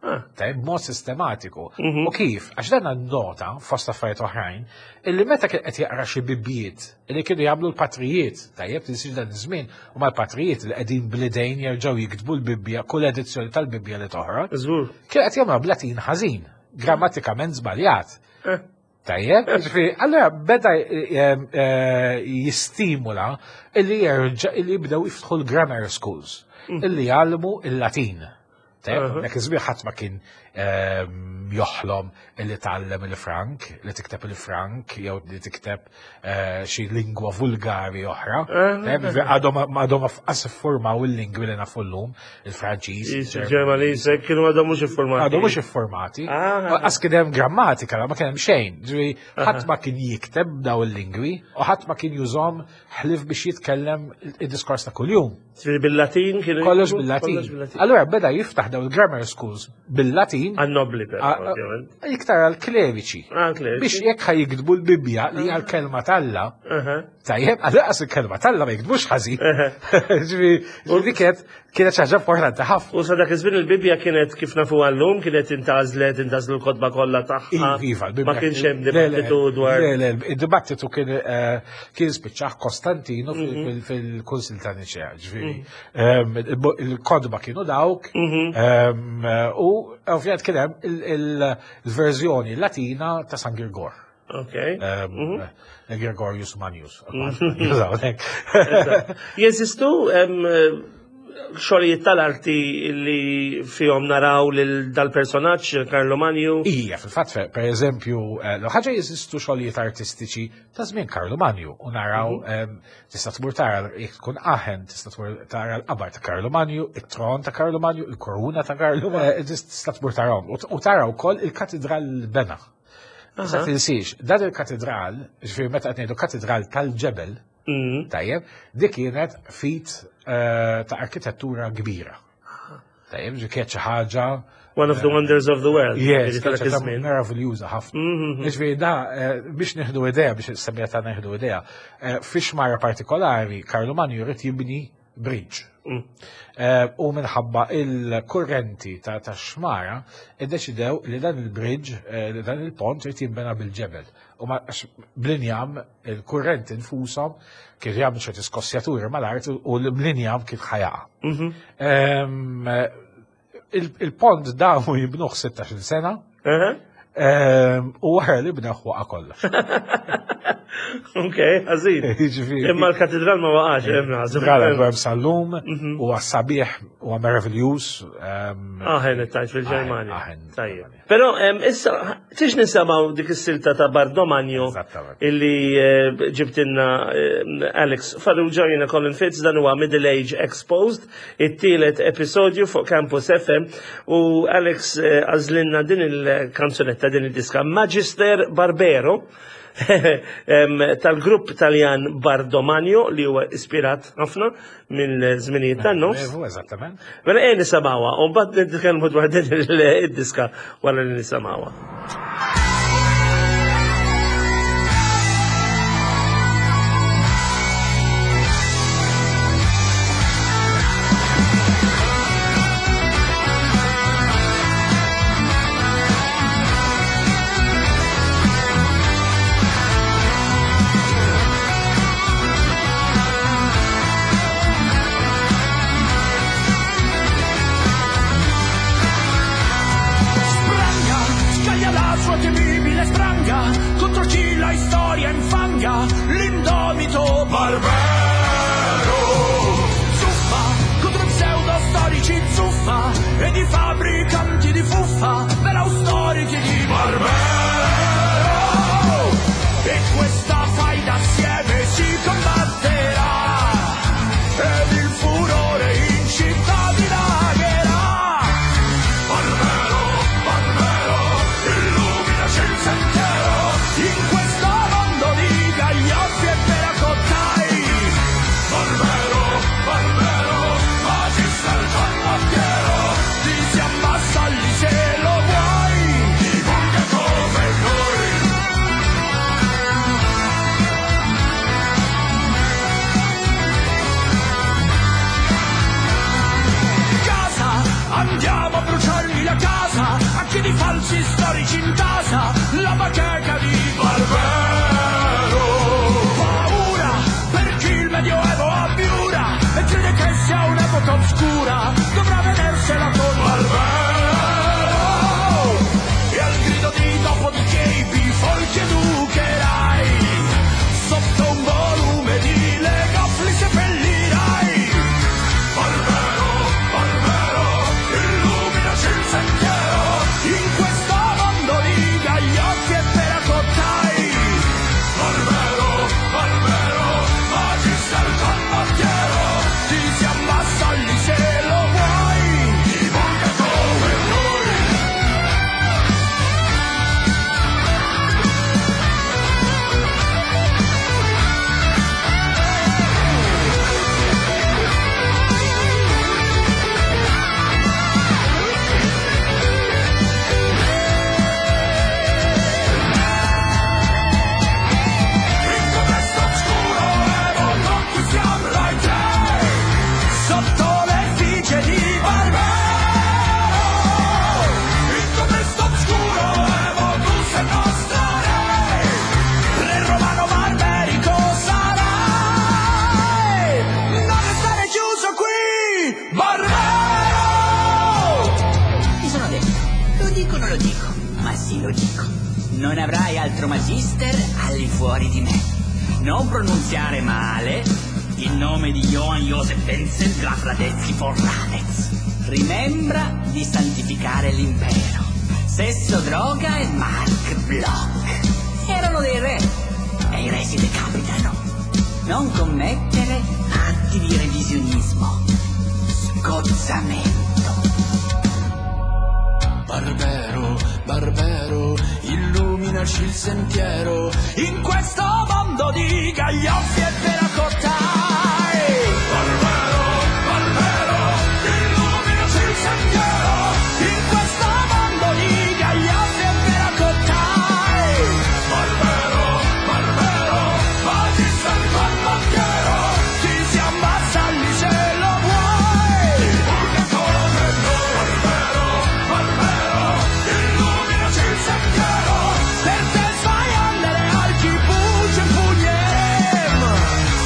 Ah. Tajjeb, b'mod sistematiku. Mhm. U kif? Għax dan nota fost affarijiet oħrajn, illi meta kien qed jaqra xi bibbiet illi kienu jagħmlu l-patrijiet, tajjeb, tinsiex dan iż-żmien u mal-patrijiet li qegħdin bl-idejn jerġgħu jiktbu l-Bibbja, kull edizzjoni tal-Bibbja li toħroġ, Żgur. kien qed jagħmlu b'Latin ħażin, grammatikament żbaljat. Eh. Tajjeb, ġifieri, allora beda eh, eh, jistimula illi jerġa' illi jibdew jiftħu l-grammar schools, illi jgħallmu il-Latin. Tajjeb, Aha. dak iż-żmien ħadd ma kien ehm, joħlom illi tgħallem il-Frank, li tikteb il-Frank, jew li tikteb eh, xi lingwa vulgari oħra. Tajjeb, ġifieri għadhom għadhom qas iffurmaw il-lingwi li nafu llum, il-Franċiż, Il-Ġermaniż kienu għadhom mhux iffurmati. Għadhom mhux iffurmati. Ah. Qas kien hemm grammatika, ma kien hemm xejn. Ġifieri ħadd ma kien jikteb daw il-lingwi u ħadd ma kien jużhom ħlief biex jitkellem id-diskors ta' kuljum. Ġifieri bil-Latin kienu Kollox jiktbu? bil-Latin. Kollox bil-Latin. Allura beda jiftaħ daw il-grammar schools bil-Latin. Għan-nobli però, a- a- ovvjament. Iktar għal-kleriċi. Ah, kleriċi. Biex jekk ħa jiktbu l-Bibbja li hija l-kelma t'Alla, Aha. tajjeb, għal il-kelma t'Alla ma jiktbux ħażin. Ġifieri, dik kienet kienet xi ħaġa importanti ħafna. U sa dak iż-żmien il-Bibbja kienet kif nafu għallum, kienet intgħażlet, intgħażlu l-kotba kollha tagħha. Iva, l-Bibbja Ma kienx hemm Le, le, dibattitu dwar. Le, le, il-dibattitu kien eh, kien spiċċaħ Kostantinu fil- fil- fil-Kunsil ta' Niċea, ġifieri. Ehm, il- Il-kotba kienu dawk, ehm, u ovvjament kien hemm il- il- il-verżjoni Latina ta' San Girgor. Ok. Ehm, Gregorius Magnus. Jużaw, hekk. Jeżistu em, xogħlijiet tal-arti li fihom naraw lil dal-personaġġ Karlo Manju? Ija, fil-fatt, per eżempju, eh, l ħaġa jeżistu xogħlijiet artistiċi ta' żmien Karlo Manju u naraw mhm. em, tista' tmur tara jekk tkun Aachen, tista' tmur tara l-qabar ta' Karlo Manju, it-tron ta' Karlo Manju, il-koruna ta' Karlo Manju, eh, tista' tmur tarahom. U tara wkoll il-katedral bena. Sa tinsiex, dan il-katedral, ġifieri meta qed ngħidu katedral tal-ġebel, mm. tajjeb, dik kienet feat eh, ta' arkitettura kbira. Tajjeb, ġi kienet xi ħaġa One of the wonders of the world. Yes, meraviljuża ħafna. Mhm. Ġifieri da, eh, biex nieħdu idea, biex semmija ta' nieħdu idea, eh, fi xmara partikolari, Karlo Manju jrid jibni bridge. Mm. U minħabba il-kurrenti ta' ta' xmara, iddeċidew li dan il-bridge, li dan il-pont irid jinbena bil-ġebel. U ma bl-injam il-kurrenti nfushom kif jagħmlu ċerti skossjaturi mal-art u l-injam kif ħa jaqa'. Mhm. Il-pont damu jibnuh sittax-il sena. U wara li bnew waqa' kollox. Ok, għażin. Imma l-katedral ma waqax, hemm naħseb. Katedral hemm sal-lum, mhm. u sabiħ u meraviljuż. Aachen tajt fil-Ġermanja. Tajjeb. Però issa tix nisimgħu dik is-silta ta' Bardomagno illi eh, ġibtinna eh, Alex Farrugia, jiena Colin Fitz, dan huwa Middle Age Exposed, it-tielet episodju fuq Campus F M u Alex eh, għażlilna din il-kanzunetta, din il-diska Magister Barbero tal-grupp Taljan Bardomagno li huwa ispirat ħafna mill-żminijiet tan-nofs. Eżattament. Mela ejja nisimgħuha u mbagħad nitkellmu dwar din id-diska wara li nisimgħuha. Spranga, scaglia la sua temibile spranga contro chi la storia infanga, l'indomito Barbero. Zuffa contro pseudo storici zuffa ed i fabbricanti di fuffa per austerity di Barbero. E questa faida assieme si combatterà ed il furore in città dilagherà. Barbero, Barbero, illuminaci il sentiero in questo mondo di gaglioffi e peracottai. Barbero, Barbero, magister ciarlattiero, ti siam vassalli se lo vuoi, divulga come noi. Casa, andiamo a bruciargli la casa, a chi di falsi storici intasa la bacheca di Barbero. Paura per chi il Medioevo abiura e crede che sia un'epoca oscura, dovrà vedersela con Barbero. E al grido di dopodiché i bifolchi educherai, sotto un volume di Legoff li seppellirai. Barbero, Barbero, illuminaci il sentiero in questo mondo di gaglioffi e peracottai. Barbero, Barbero, magister ciarlattiero, ti siam vassalli se lo vuoi, divulga come noi. In contesto oscuro evo conquistiamo l'I T sotto l'effigie di Barbero. In contesto oscuro evo tu sei nostro re, re romano barberico sarai. Non restare chiuso qui, Barbero! Mi sono detto, lo dico o non lo dico? Ma sì, lo dico. Non avrai altro magister all'infuori di me. Non pronunziare male. Il nome di Johann Joseph Wenzel Graf Radetzky von Radez. Rimembra di santificare l'impero. Sesso, droga e Mark Bloch. Erano dei re e i re si decapitano. Non commettere atti di revisionismo. Sgozzamento. Barbero, Barbero, illuminaci il sentiero in questo mondo di gaglioffi e terracottai. Barbero, Barbero, illuminaci il sentiero in questo mondo di gaglioffi e terracottai. Barbero, Barbero, magista il farmacchiero, ti si ammazza lì se lo vuoi. Divulga come noi. Barbero, Barbero, illuminaci il sentiero, per te fai andare al kibbutz e pugnerem.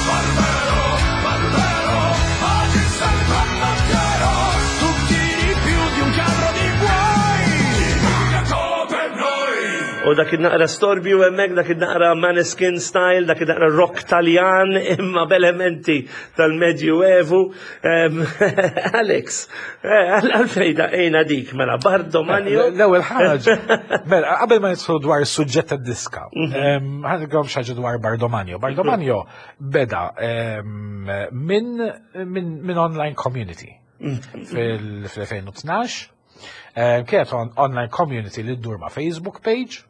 Barbero, Barbero, magista il farmacchiero, tu tiri più di un carro di buoi. Divulga come noi. U dak naqra storbju hemmhekk, dak naqra Maneskin style, dak naqra rock Taljan imma b'elementi tal-Medjuevu. Em, Alex, eh, għalfejn daqqejna dik mela Bardomanio. L-ewwel ħaġa, mela qabel ma nidħlu dwar is-suġġett tad-diska, ħa ngħidilkom xi ħaġa dwar Bardomanio. Bardomanio beda em, minn min, min online community fil-elfejn u tnax. Em, Kienet on online community li ddur ma' Facebook page.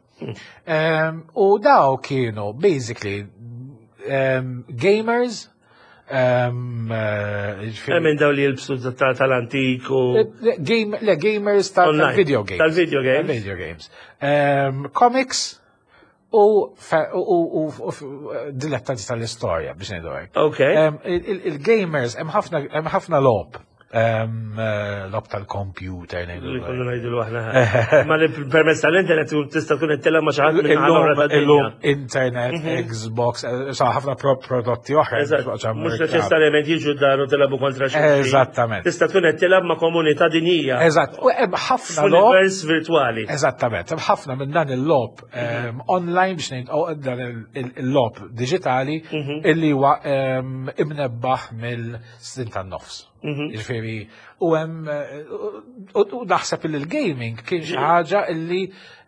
Em, U daw kienu basically em, gamers, em, eh, ġifieri- Minn daw li jilbsu ta- tal-antik u. Le, game, le, gamers tal- Online. tal-video games. Tal-video games. Tal-video games. Um, comics u, fe- u, u, u, u dilettanti tal-istorja, biex ngħidu hekk. Ok. Um, Il-gamers, hemm ħafna hemm ħafna logħob. Um, eh, logħob tal-computer, ngħidu Li hekk. konna ngħidu aħna. Ma li permezz tal-internet tista' tkun qed tilgħab ma' xi ħadd minn Illum, oħra tad-dinja. illum internet, Xbox, eh, sa ħafna pro prodotti oħra. Eżatt, mhux neċessarjament jiġu d-dar u tilagħbu kontra xulxin. Eżattament. Tista' tkun qed tilgħab ma' komunità dinjija. Eżatt, u hemm ħafna logħob. F'univers virtuali. Eżattament, hemm ħafna minn dan il-logħob em, online biex ngħid oh, dan il- il- il-logħob diġitali illi huwa em, imnebbaħ mill-snin tan-nofs. Jiġifieri, u hemm eh, u u naħseb li l-gaming kien xi ħaġa illi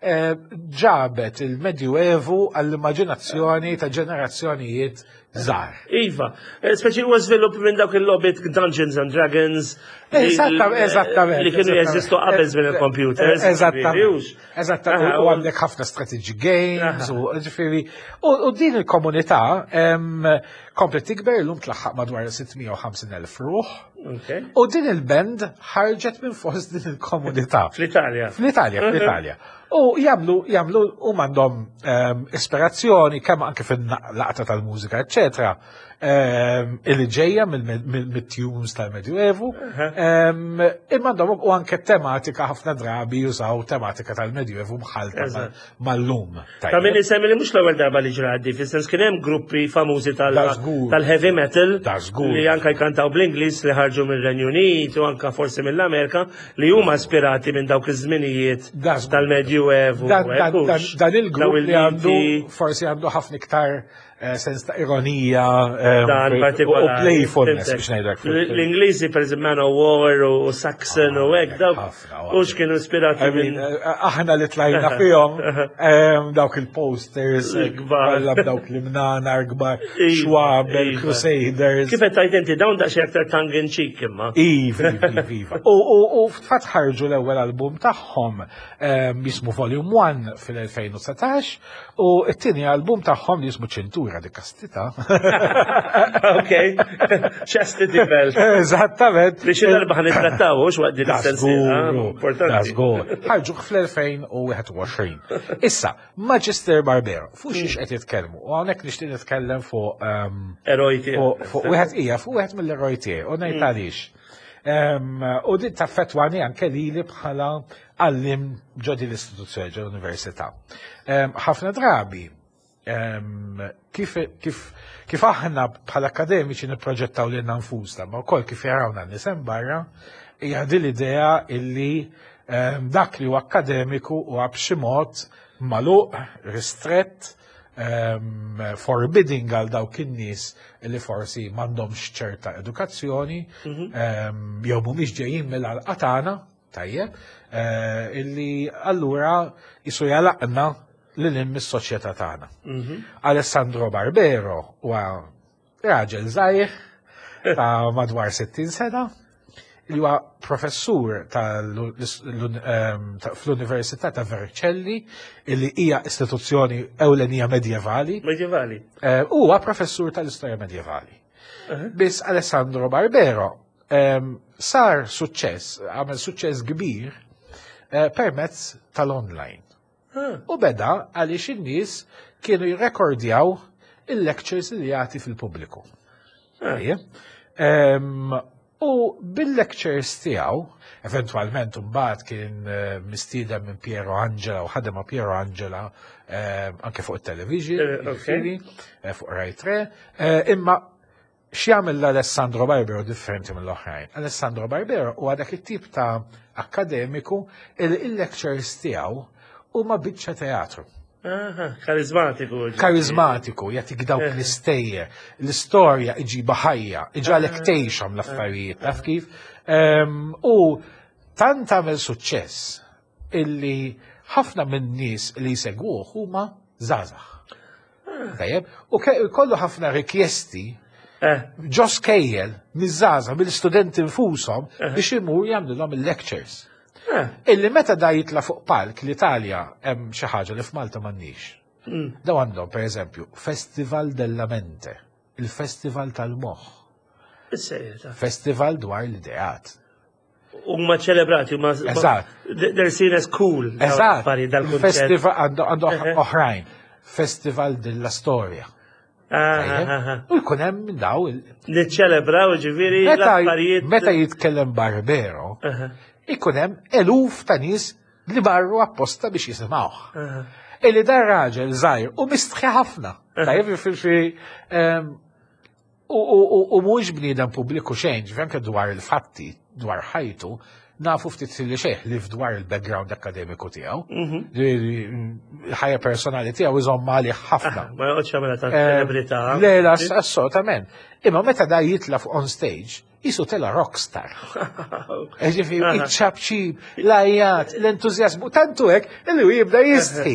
eh, ġabet il-Medjuevu għall-immaġinazzjoni ta' ġenerazzjonijiet żgħar. Iva, eh, speċi huwa żvilupp minn dawk il-logħbiet Dungeons and Dragons li- Eżattament, eżattament. Li kienu jeżistu qabel żmien il-computers. Eżattament. Eżattament. Aha, U għandek ħafna strategy games, u ġifieri. U u din il-komunità em, komplet tikber, illum tlaħħaq madwar sitt mija u ħamsin elf ruħ. Ok. U din il-band ħarġet minn fost din il-komunità. Fl-Italja. Fl-Italja, fl-Italja. U jagħmlu, jagħmlu, u għandhom um, ispirazzjoni kemm anke fin-laqta tal-mużika, eccetera, um, illi ġejja mill-tunes tal-Medjuevu, um, imma għandhom u anke tematika, ħafna drabi jużaw tematika tal-Medjuevu mħalta Eżatt. mal-lum. Ta' min isemmi li mhux l-ewwel darba li ġradi, fis-sens kien hemm gruppi famużi tal- Da żgur. tal-heavy metal Da żgur. li anka jkantaw bl-Ingliż li ħarġu mill-Renju Unit u anka forsi mill-Amerika li huma ispirati minn dawk iż-żminijiet Da żgur. tal-Medjuevu. Dan, dan, hekk dan, hux. dan il-grupp Daw li għandu il-miti. forsi għandu ħafna iktar eh, sens ta' ironija eh, Dan u partikolari. playfulness Fhimtek. biex ngħidlek. L-Ingliżi, per eżempju, Manowar u Saxon u hekk, dawk ħafna, u x'kienu ispirati I mean, minn eh, aħna li tlajna fihom em, dawk il-posters, Il-kbar. kollha b'dawk l-imnanar kbar, Iva, xwabel, iva. Crusaders. Kif qed tgħid inti, dawn daqsxejn aktar tongue in cheek imma. Iva, iva, iva. U, u, u fatt ħarġu l-ewwel album tagħhom em, jismu Volume one fil-elfejn u dsatax u t-tieni album tagħhom li jismu Ċintura di Kastità. Ok, Chastity Belt. Eżattament. Li xi darba ħa nittrattaw hux waqt din Da is-sensiela, żgur, importanti. da żgur. Ħarġu fl-elfejn u wieħed u għoxrin. Issa, Magister Barbero, fuq xiex qed jitkellmu? U hawnhekk nixtieq nitkellem fuq em, Eroj tiegħek. fuq fuq wieħed hija fuq wieħed mill-eroj tiegħi u ngħid għaliex. Em, U din taffettwani anke lili bħala għallim ġo din l-istituzzjoni, ġo l-università. Em, Ħafna drabi em, kif, kif, kif aħna bħala akademiċi nipproġettaw lilna nfusna, ma wkoll kif jarawna n-nies hemm barra, hija din l-idea illi em, dak li huwa akademiku huwa b'xi mod magħluq, ristrett, um, forbidding għal dawk in-nies li forsi m'għandhomx ċerta edukazzjoni, um, jew mhumiex ġejjin mill-għalqa tagħna, tajjeb, eh, illi allura jisu jalaqna lil hinn mis-soċjetà tagħna. Alessandro Barbero huwa raġel żgħir ta' madwar sittin sena, li huwa professur tal- ehm, ta' fl-Università ta' Vercelli, illi hija istituzzjoni ewlenija medjevali. Medjevali. Eh, Huwa professur tal-istorja medjevali. Biss Alessandro Barbero ehm, sar suċċess, għamel suċċess kbir eh, permezz tal-online. U beda għaliex in-nies kienu jirrekordjaw il-lectures li jagħti fil-pubbliku. Ejja. Em, U bil-lectures tiegħu, eventwalment mbagħad kien eh, mistieden minn Piero Angela u ħadem ma' Piero Angela eh, anke fuq it-television, Eh, ok. jiġifieri, eh, fuq Rai tre, eh, imma x'jagħmel l-Alessandro Barbero differenti mill-oħrajn? Alessandro Barbero huwa dak it-tip ta' akademiku il il-lectures tiegħu huma biċċa teatru. Aha, karizmatiku. Ġifieri. Karizmatiku, jagħtik dawk l-istejjer, l-istorja iġiba ħajja, iġagħlek tgħixhom l-affarijiet, taf kif? Em, U tant għamel suċċess illi ħafna minn nies li jsegwuh huma żgħażagħ. Tajjeb, u ke- kollu ħafna rikjesti Eh, ġo skejjel miż-żgħażagħ, mill-studenti nfushom biex imur jagħmlilhom il-lectures. eh, Illi meta da jitla fuq palk, l-Italja hemm xi ħaġa li f'Malta m'għandniex. Daw għandhom pereżempju Festival della Mente, il-Festival tal-Moħħ, Is-sejja. festival dwar l-ideat. Huma ċelebrati, huma. Eżatt. They're seen as cool. Dawn Eżatt, l-affarijiet, dal-kunċett. festival għandu għandu Eħe. oħrajn, Festival della Storia. Ah, Tajjeb? ah, ah. U jkun hemm minn daw il- Niċċelebraw ġifieri Meta l-affarijiet. meta jitkellem Barbero, Aha, ikun hemm eluf ta' nies li marru apposta biex jisimgħuh. aha. Illi dar raġel żgħir u mistħi ħafna. Tajjeb fi fi em, u u- u- u mhuwiex bniedem pubbliku xejn, ġifieri anke dwar il-fatti, dwar ħajtu, nafu ftit li xejn li dwar il-background akademiku tiegħu. Ġifieri, Il-ħajja personali tiegħu iżomm għalih ħafna. Ma joqgħodx jagħmilha ta' Eh, ċelebrità. Le, la, assolutament. Imma meta da jitla fuq on stage, jisu tela rockstar. Ġifieri, iċ-ċapċip, l-għajat, l-entuzjazmu, tantu hekk, illi hu jibda jistħi.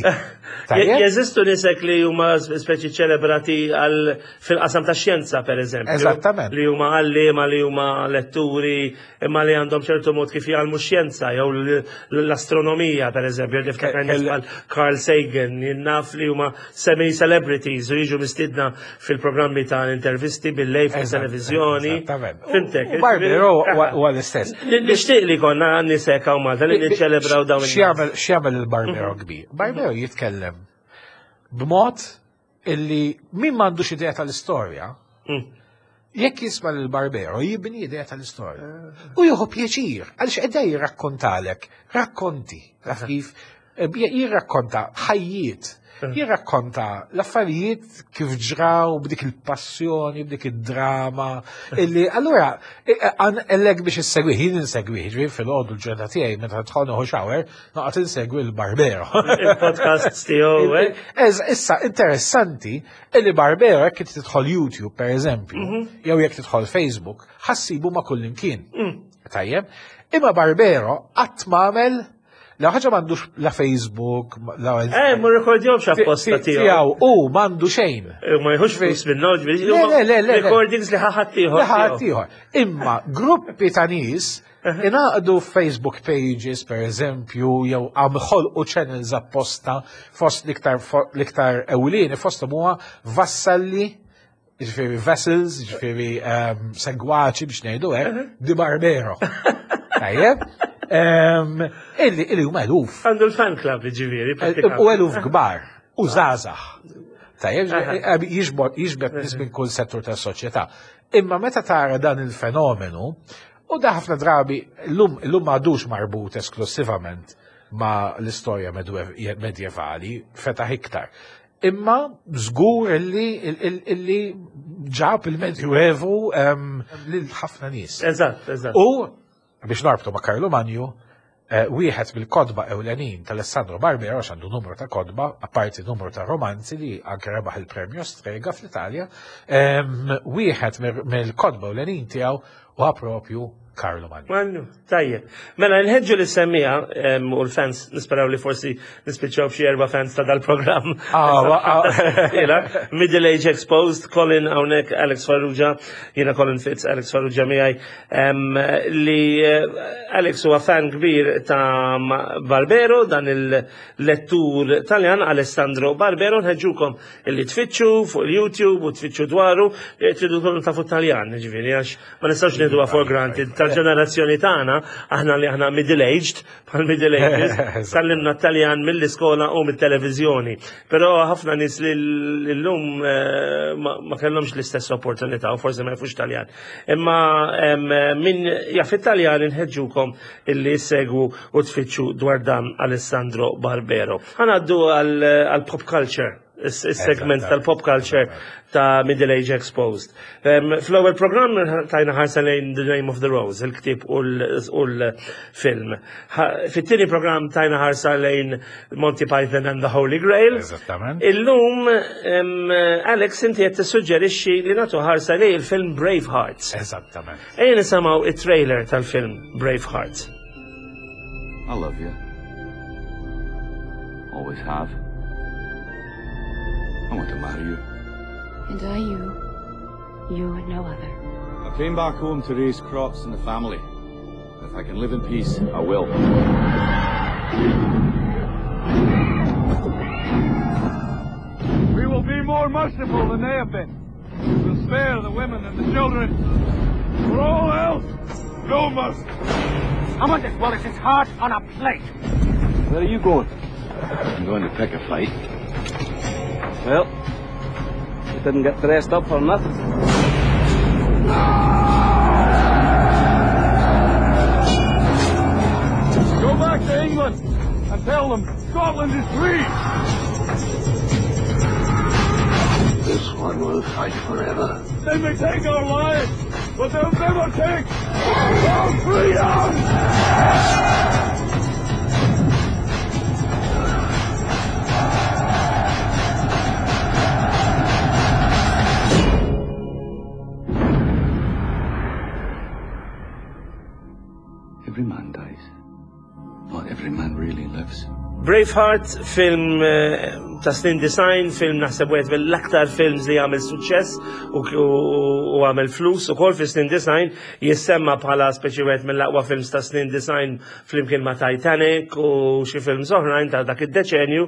Tajjeb? Jeżistu nisek li huma speċi ċelebrati għal fil-qasam ta' xjenza, per eżempju. Eżattament. Li huma għalliema, li huma letturi, imma li għandhom ċertu mod kif jgħallmu xjenza, jew l- l-astronomija, per eżempju, niftakar nies Kell- bħal Carl Sagan, naf li huma semi-celebrities u jiġu mistidna fil-programmi ta' intervisti bil-lejl fil-televizjoni. Eżattament. Fimtek. U Barbero huwa huwa l-istess. Nixtieq li konna nisek hawn Malta li niċċelebraw dawn in-nies. X'jagħmel x'jagħmel il-Barbero kbir? Barbero jitkellem b'mod illi min m'għandux idea tal-istorja, Mm. jekk jisma' lil Barbero jibni idea tal-istorja. U jieħu pjaċir, għaliex qiegħda jirrakkontalek, rakkonti, taf kif eh, jirrakkonta ħajjiet, jirrakkonta l-affarijiet kif ġraw b'dik il-passjoni, b'dik id-drama, illi allura għan biex issegwih, jien insegwih, ġifieri fil-għodu l-ġurnata tiegħi meta tħol nieħu shower, noqgħod insegwi l-Barbero. Il-podcast tiegħu, eh? Ez, issa, interessanti, illi Barbero jekk inti tidħol YouTube, per eżempju, jew jekk tidħol Facebook, ħa ssibu ma' kullimkien. Tajjeb? Imma Barbero qatt m'għamel la ħaġa m'għandux la Facebook, la Eh, ma rekordjomx apposta tiegħu. tiegħu u m'għandu xejn. Eh, Ma jħux flus minnu, ġifieri. Le, le, le, le, le. Recordings li ħadd ieħor. Li ħadd ieħor. Imma gruppi ta' nies ingħaqdu Facebook pages, per eżempju, jew għam ħolqu channels apposta fost l-iktar l-iktar ewlieni fosthom huwa vassalli, ġifieri vessels, ġifieri ehm, segwaċi biex ngħidu hekk, di Barbero. Tajjeb? Ehm, Illi illi huma eluf. Għandu l-fan club, ġifieri. U eluf kbar, u żgħażagħ. Tajjeb, jiġbod jiġbed nies minn kull settur tas-soċjetà. Imma meta tara dan il-fenomenu, u da ħafna drabi llum llum m'għadux marbut esklusivament ma l-istorja medwe- medjevali, fetaħ iktar. Imma żgur illi illi ġab il-Medjuevu em, lil ħafna nies. Eżatt, eżatt. U biex norbtu ma' Karlu Manju, Eh, wieħed mill-kotba ewlenin tal-Alessandro Barbero, għax għandu numru ta' kotba, apparti numru ta' romanzi li anke rebaħ il-premju Strega fl-Italja, em, wieħed mill-kotba ewlenin tiegħu huwa propju Karlu Manju. Manju, tajjeb. Mela, nħeġġu lis-semmiegħa em, u l-fans, nisperaw li forsi nispiċċaw b'xi erba' fans ta' dal-programm. Ah, wa- ah. Ila, Middle Age Exposed, Colin hawnhekk, Alex Farrugia, jiena Colin Fitz, Alex Farrugia miegħi, em, li eh, Alex huwa fan kbir ta' Barbero, dan il-lettur Taljan, Alessandro Barbero, nħeġġukom illi tfittxu fuq il-YouTube u tfittxu dwaru, eh, tridu tkunu tafu Taljan, ġifieri, għax ma nistgħux nieħduha for granted tal-ġenerazzjoni tagħna, aħna li aħna middle-aged, bħal middle ages, tgħallimna Taljan mill-iskola u mit-televiżjoni. Però ħafna nies li l-lum eh, ma ma kellhomx l-istess opportunità u forsi ma jafux Taljan. Imma em, min jaf it-Taljan inħeġġukom illi segwu u tfittxu dwar dan Alessandro Barbero. Ħa ngħaddu għal pop culture, is-segment Eżatt. tal-pop culture ta' Middle Age Exposed. Um, Fl-ewwel programm tajna ħarsa lejn The Name of the Rose, il-ktieb u l-film. Fit-tieni programm tajna ħarsa lejn Monty Python and the Holy Grail. Eżattament. Illum, um, Alex, inti qed tissuġġerixxi li nagħtu ħarsa lejn il-film Bravehearts. Eżattament. Ejja nisimgħu it-trailer tal-film Bravehearts. I love you. Always have. I want to marry you. And I you. You and no other. I came back home to raise crops and the family. If I can live in peace, I will. We will be more merciful than they have been. We'll spare the women and the children. For all else, no mercy. I want this Wallace's heart on a plate. Where are you going? I'm going to pick a fight. Well, you didn't get dressed up for nothing. Go back to England and tell them Scotland is free. This one will fight forever. They may take our lives, but they'll never take our freedom! Every man dies. Not every man really lives. Braveheart, film eh, ta' snin disgħin, film naħseb wieħed mill-aktar films li għamel suċċess u, u, u għamel flus u kol fi snin disgħin, jissemma bħala speċi wieħed mill-aqwa films ta' snin disgħin flimkien ma' Titanic u xi films oħrajn ta' dak id-deċenju.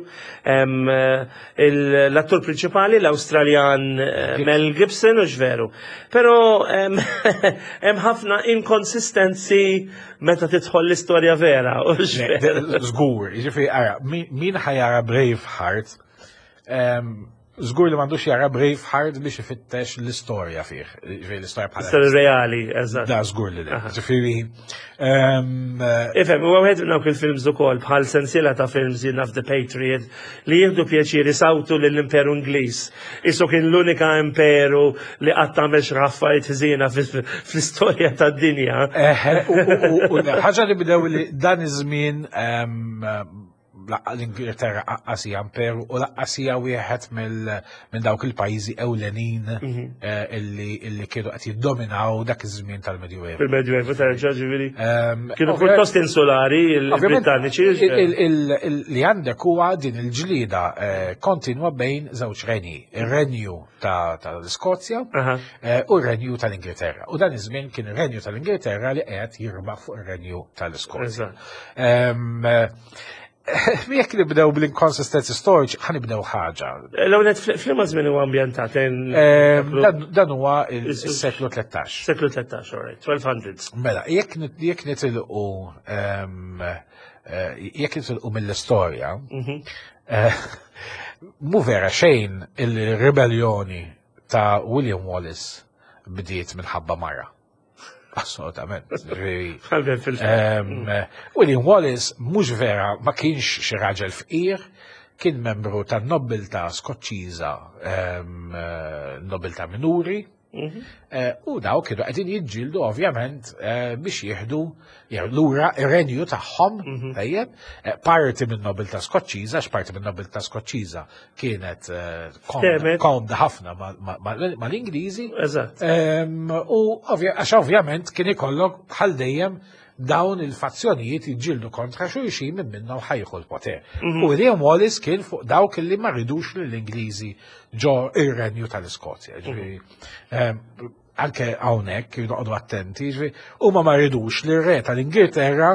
Em, eh, il- L-attur prinċipali, l-Awstraljan eh, Mel Gibson, u veru. Però em, hemm ħafna inkonsistenzi meta tidħol l-istorja vera. U veru. Żgur, jiġifieri ara, min min ħa jara Braveheart, em, żgur li m'għandux jara Braveheart biex ifittex l-istorja fih, jiġifieri l-istorja bħala. Istorja reali, eżatt. Da, żgur li le. Jiġifieri, em, Ifhem, u għed minn dawk il-films ukoll bħal sensiela ta' films jien naf The Patriot li jieħdu pjaċir isawtu lill-Imperu Ingliż. Isu kien l-unika imperu li qatt għamel xi affarijiet ħżiena fl-istorja tad-dinja. Eh, u- u- u- u ħaġa li bdew li dan iż-żmien em, laqqa l-Ingilterra lanqas hija imperu u lanqas hija wieħed mill- minn dawk il-pajjiżi ewlenin eh, illi illi kienu qed jiddominaw dak iż-żmien tal-Medjuevu. Fil-Medjuevu terġa' ġifieri. Em, Kienu ovvja- pjuttost insulari Ovvjament, il-Britanniċi. il- il- il- Li għandek huwa din il-ġlida eh, kontinwa bejn żewġ renji. Ir-renju ta' tal-Iskozja Aha. eh, u r-renju tal-Ingilterra. U dan iż-żmien kien ir-renju tal-Ingilterra li qed jirbaħ fuq ir-renju tal-Iskozja. Eżatt. Em, eh, Jekk nibdew bl-inconsistency storiċi, ħa nibdew ħaġa. L-ewwel f'liema żmien huwa ambjentat lejn Em, Dan dan huwa il-seklu tlettax. seklu tlettax, all right, twelve hundreds. Mela, jekk nit- jekk nitilqu em, eh, jekk nitilqu mill-istorja, eh, mu vera xejn il-ribellioni ta' William Wallace bdiet minħabba mara. Assolutament. Ġifieri, Għalben fil Em, William Wallace mhux vera ma kienx xi raġel fqir, kien membru tan nobilta Skoċċiża, em, eh, nobilta minuri, Eh, U daw kienu qegħdin jiġġieldu ovvjament eh, biex jieħdu jew lura ir-renju tagħhom, tajjeb, eh, parti minn nobiltà Skoċċiża, għax parti minn nobiltà Skoċċiża kienet eh, komda Temet. komda ħafna ma- ma- ma- mal-Ingliżi. Eżatt. Em, U ovvja- għax ovvjament kien ikollok bħal dejjem dawn il-fazzjonijiet jiġġieldu kontra xulxin minn minnhom ħa jieħu l-poter. U William Wallace kien fuq dawk li ma ridux lill-Ingliżi ġo ir-renju tal-Iskozja. Ġifieri, em, anke hawnhekk noqogħdu attenti, ġifieri, huma ma ridux li r-re tal-Ingilterra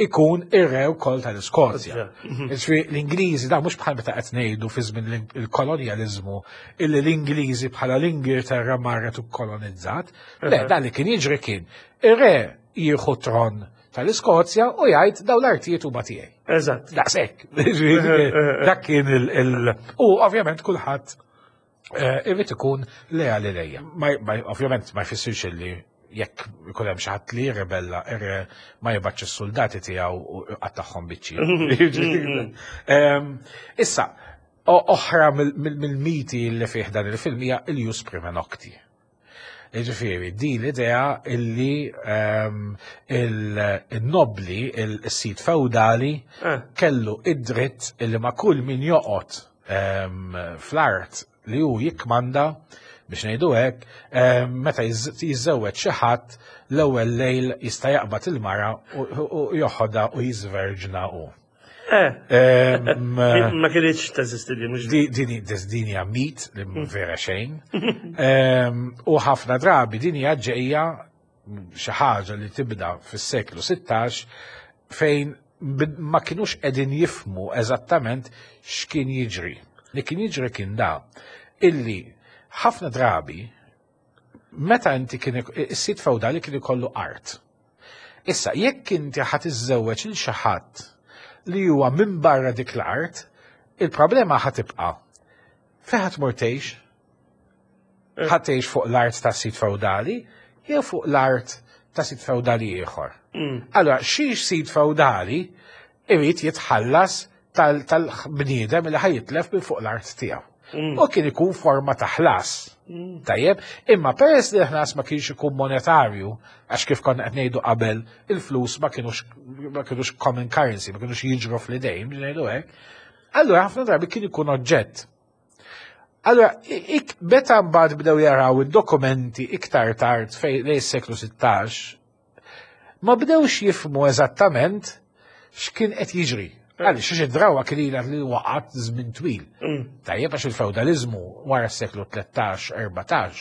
ikun ir-re wkoll tal-Iskozja. Ġifieri l-Ingliżi da mhux bħal meta qed ngħidu fi żmien il-kolonjaliżmu illi l-Ingliżi bħala l-Ingilterra marret u kolonizzat. Le, dan li kien jiġri kien ir-re jieħu tron tal-Iskozja u jgħid daw l-artijiet huma tiegħi. Eżatt. Daqshekk. Ġifieri, Dak kien il- il- U ovvjament kulħadd eh, irrid ikun leali lejja. Ma- ma- Ovvjament ma jfissirx illi jekk ikun hemm xi ħadd li jirrebella ir-re ma jibgħatx is-soldati tiegħu u qattagħhom biċċi. Em, Issa, o- oħra mill- mill- mill-miti li fih dan il-film hija il-jus prima nocti. Ġifieri, di l-idea illi ehm, il- il-nobli, il-sit feudali, Eh. kellu id-dritt illi ma' kull min joqgħod ehm, fl-art li hu jikmanda biex ngħidu hekk, ehm, meta jiż- jiżżewweġ xi ħadd l-ewwel lejl jista' jaqbad il-mara u u joħodha u jiżverġna hu. Eh. Ehm, Ma kienx teżisti di mhux Di- Din din hija mit li mhu vera xejn. Ehm, U ħafna drabi din hija ġejja xi ħaġa li tibda fis-seklu sittax fejn bid- ma kinux qegħdin jifmu eżattament x'kien jiġri. Li kien jiġri kien da illi ħafna drabi meta inti kien is-sit feudali kien ikollu art. Issa, jekk inti ħa tiżżewweġ lil xi ħadd li huwa minn barra dik l-art, il-problema ħa tibqa'. Fejn ħa tmur tgħix? Ħa tgħix fuq l-art ta' sit feudali jew fuq l-art ta' sit feudali ieħor. Allora, xi sit feudali irid jitħallas tal- tal-bniedem li ħa jitlef minn fuq l-art tiegħu. U kien ikun forma ta' ħlas. Tajjeb, imma peress li l-ħlas ma kienx ikun monetarju, għax kif konna qed ngħidu qabel, il-flus ma kienux ma kienux common currency, ma kienux jiġru fl-idejn, biex ngħidu hekk. Allura ħafna drabi kien ikun oġġett. Allura, ik, meta mbagħad bdew jaraw id-dokumenti iktar tard fej lejn is-seklu sittax, ma bdewx jifmu eżattament x'kien qed jiġri. Għaliex xi drawa kien ilha li waqgħet żmien twil. Tajjeb għax il-feudalizmu wara s-seklu tlettax, erbatax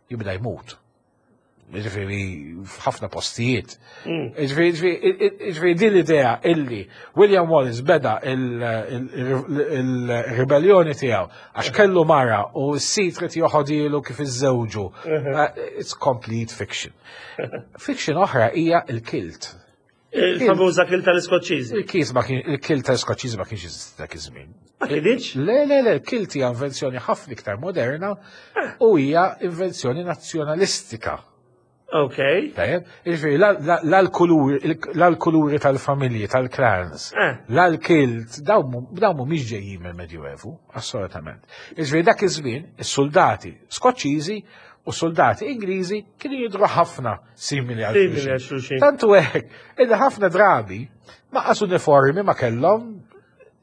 jibda jmut. Ġifieri f'ħafna postijiet. Ġifieri ġifieri- ġifieri din l-idea illi William Wallace beda il-ribellioni tiegħu għax kellu mara u s-sit trid joħodilu kif iżżewġu. Uh, It's complete fiction. Fiction oħra hija il-kilt. Il-famuża kilt tal-Iskoċċiżi. Il-kilt ma kien il-kilt tal-Iskoċċiżi ma kienx jeżisti dak iż-żmien. Ma kienx? Le, le, le, il-kilt hija invenzjoni ħafna iktar moderna u hija invenzjoni nazzjonalistika. Ok. Tajjeb, jiġifieri la- la- la l-kuluri la l-kuluri tal-familji, tal-clans, Eh. la l-kilt, dawn mu- dawn mhumiex ġejjin mill-Medjuevu, assolutament. Jiġifieri dak iż-żmien, is-soldati Skoċċiżi u soldati Ingliżi kienu jidru ħafna simili għal Simili xulxin. għal xulxin. Tantu hekk, illi ħafna drabi ma qas uniformi ma kellhom.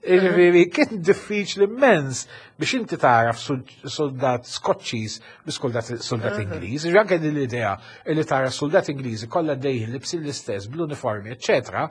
Jiġifieri kien diffiċli immens biex inti taraf soldat Skoċċiż bi soldat soldat Ingliż. Jiġifieri anke din l-idea li tara soldat Ingliżi kollha dejjin libsin l-istess bl-uniformi, eċċetera,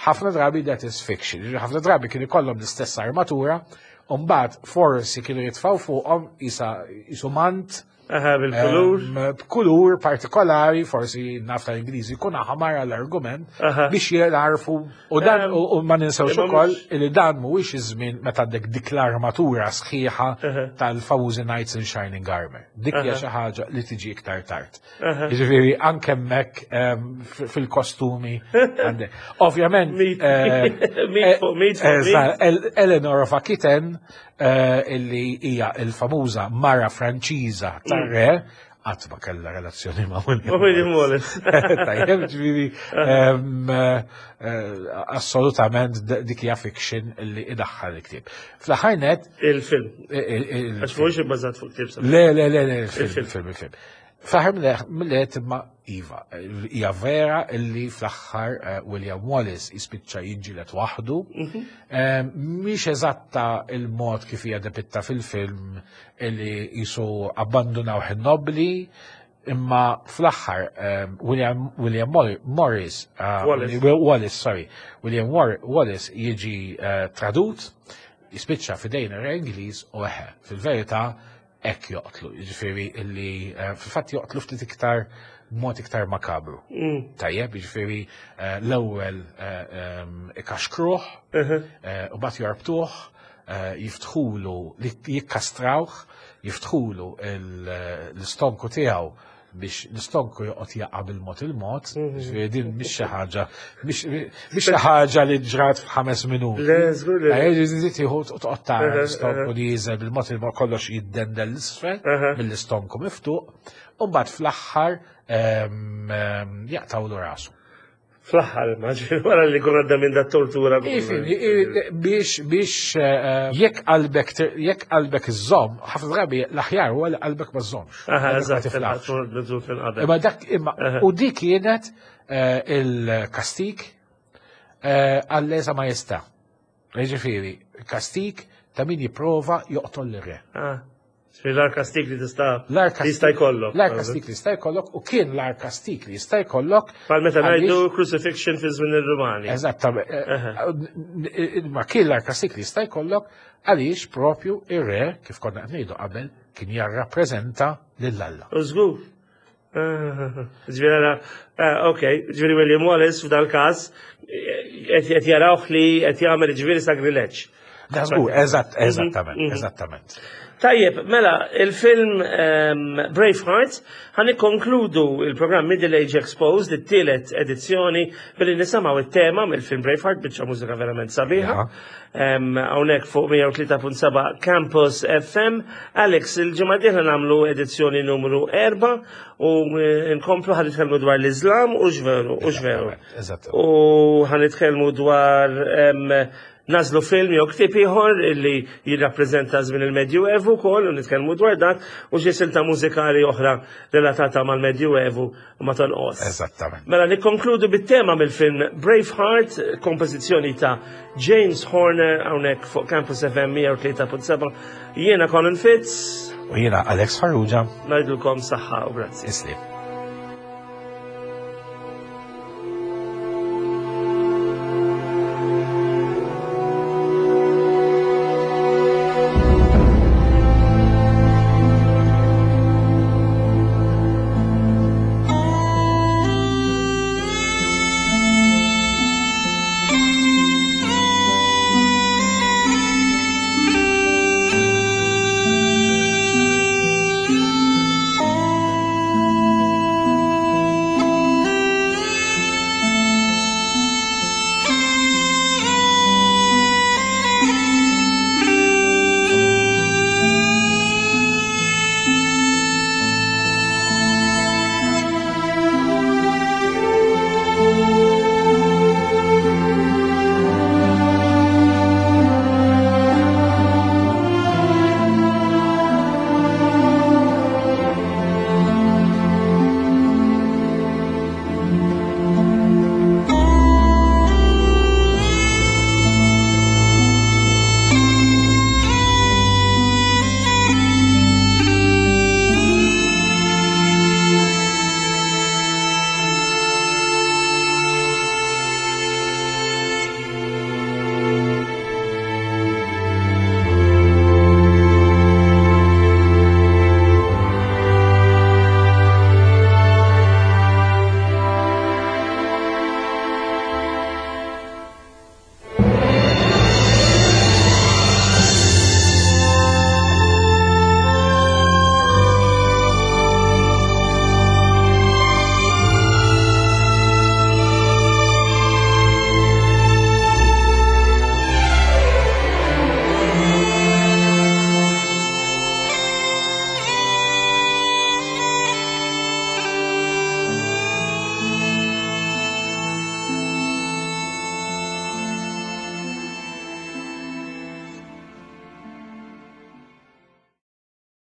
ħafna drabi that is fiction. Jiġifieri ħafna drabi kien ikollhom l-istess armatura, u mbagħad forsi kienu jitfgħu fuqhom isa isu mant Aha, bil-kulur. Em, b'kulur partikolari, forsi naf tal-Ingliżi jkun aħmar għall-argument Aha. biex jarfu u dan Em, u u ma ninsewx imma ukoll mhux- li dan mhuwiex iż-żmien meta għandek dik l-armatura sħiħa Aha. tal-famużi Knights in Shining Armor. Dik hija Aha. xi ħaġa li tiġi iktar tard. Aha. Jiġifieri anke hemmhekk em, f- fil-kostumi għandek. Ovvjament Mit- eh, mit eh, fuq mit fuq eżatt, mit. El- Eleanor of Aquitaine eh, illi hija il-famuża mara Franċiża tar-re qatt ma kellha relazzjoni ma' William Ma' William Wallace. Tajjeb, ġifieri, em, eh, eh, assolutament d- dik hija fiction illi idaħħal il-ktieb. Fl-aħħar net Il-film. il- il- Għax mhuwiex ibbażat fuq ktieb. Le, le, le, le, il-film, Il-film. il-film, il-film. Fl-aħħar mill-għed imma iva, hija vera illi fl-aħħar eh, William Wallace jispiċċa jiġġieled waħdu. Eh, Mhix eżatta il-mod kif hija depitta fil-film illi jisu abbandunaw in-nobli, imma fl-aħħar eh, William, William Mor- Morris, eh, Wallace. Wallace, sorry, William War- Wallace jiġi eh, tradut, jispiċċa f'idejn ir-re Ingliż u eħe, fil-verità hekk joqtlu, jiġifieri illi eh, fil-fatt joqtlu ftit iktar b'mod iktar makabru. Tajjeb, jiġifieri eh, l-ewwel eh, em, ikaxkruh, eh, u mbagħad jorbtuh, eh, jiftħulu, li jikkastrawh, jiftħulu il- l-istonku tiegħu biex l-istonku joqgħod jaqa' bil-mod il-mod, jiġifieri din mhix xi ħaġa, mhix mhix xi ħaġa li ġrat f'ħames minuti. Le, żgur li. Eh, ġifieri tieħu toqgħod tara Aha, l-istonku aha. li jiżel bil-mod il-mod kollox jiddendel l-isfel Aha. mill-istonku miftuq, u mbagħad fl-aħħar em, em, jaqtawlu rasu. Fl-aħħar, ma ġifieri wara li kun għadda minn dat tortura. Ifini, biex biex eh, jekk qalbek tir- jekk qalbek iżomm, ħafna drabi l-aħjar huwa li qalbek ma żommx. Aha, Qalbek ma eżatt, tiflaħx. qabel. Imma dak imma Aha. u dik kienet eh, il-kastik eh, għall-lesa majestà. Jiġifieri, kastik ta' min jipprova joqtol l-re. Ah, Ġifieri l-agħar kastik li tista' L-agħar li jista' jkollok. L-agħar kastik li jista' jkollok u kien l-agħar kastik li jista' jkollok. Bħal meta għaliex- ngħidu crucifixion fi żmien ir-Rumani. Eżattament. Ma kien l-agħar kastik li jista' jkollok għaliex propju ir-re, kif konna qed ngħidu qabel, kien jarrappreżenta lil Alla. U żgur. Ah, Ġifieri ara, ah, ok, ġifieri William Wallace f'dal każ qed qed jarawh li qed jagħmel ġifieri sagrileġġ. Da żgur, eżatt, eżattament, mhm. eżattament. Tajjeb, mela, il-film um, Braveheart ħa nikkonkludu il-programm Middle Age Exposed, it-tielet edizzjoni, billi nisimgħu it-tema mill-film Braveheart, biċċa mużika verament sabiħa. Um, Hawnhekk fuq mija u tlieta punt seba' Campus F M. Alex, il-ġimgħa dieħla nagħmlu edizzjoni numru erba' u eh, nkomplu ħa nitkellmu dwar l-Islam u x'veru, u x'veru. Eżatt. U ħa nitkellmu dwar em, nażlu film jew ktieb ieħor illi jirrappreżenta żmien il-Medjuevu wkoll u nitkellmu dwar dak u xi silta mużikali oħra relatata mal-Medjuevu u ma tonqos. Eżattament. Mela nikkonkludu bit-tema mill-film Braveheart, kompożizzjoni ta' James Horner hawnhekk fuq Campus F M mija u tlieta punt seba'. Jiena Colin Fitz, U jiena Alex Farrugia, ngħidulkom saħħa u grazzi. Islim.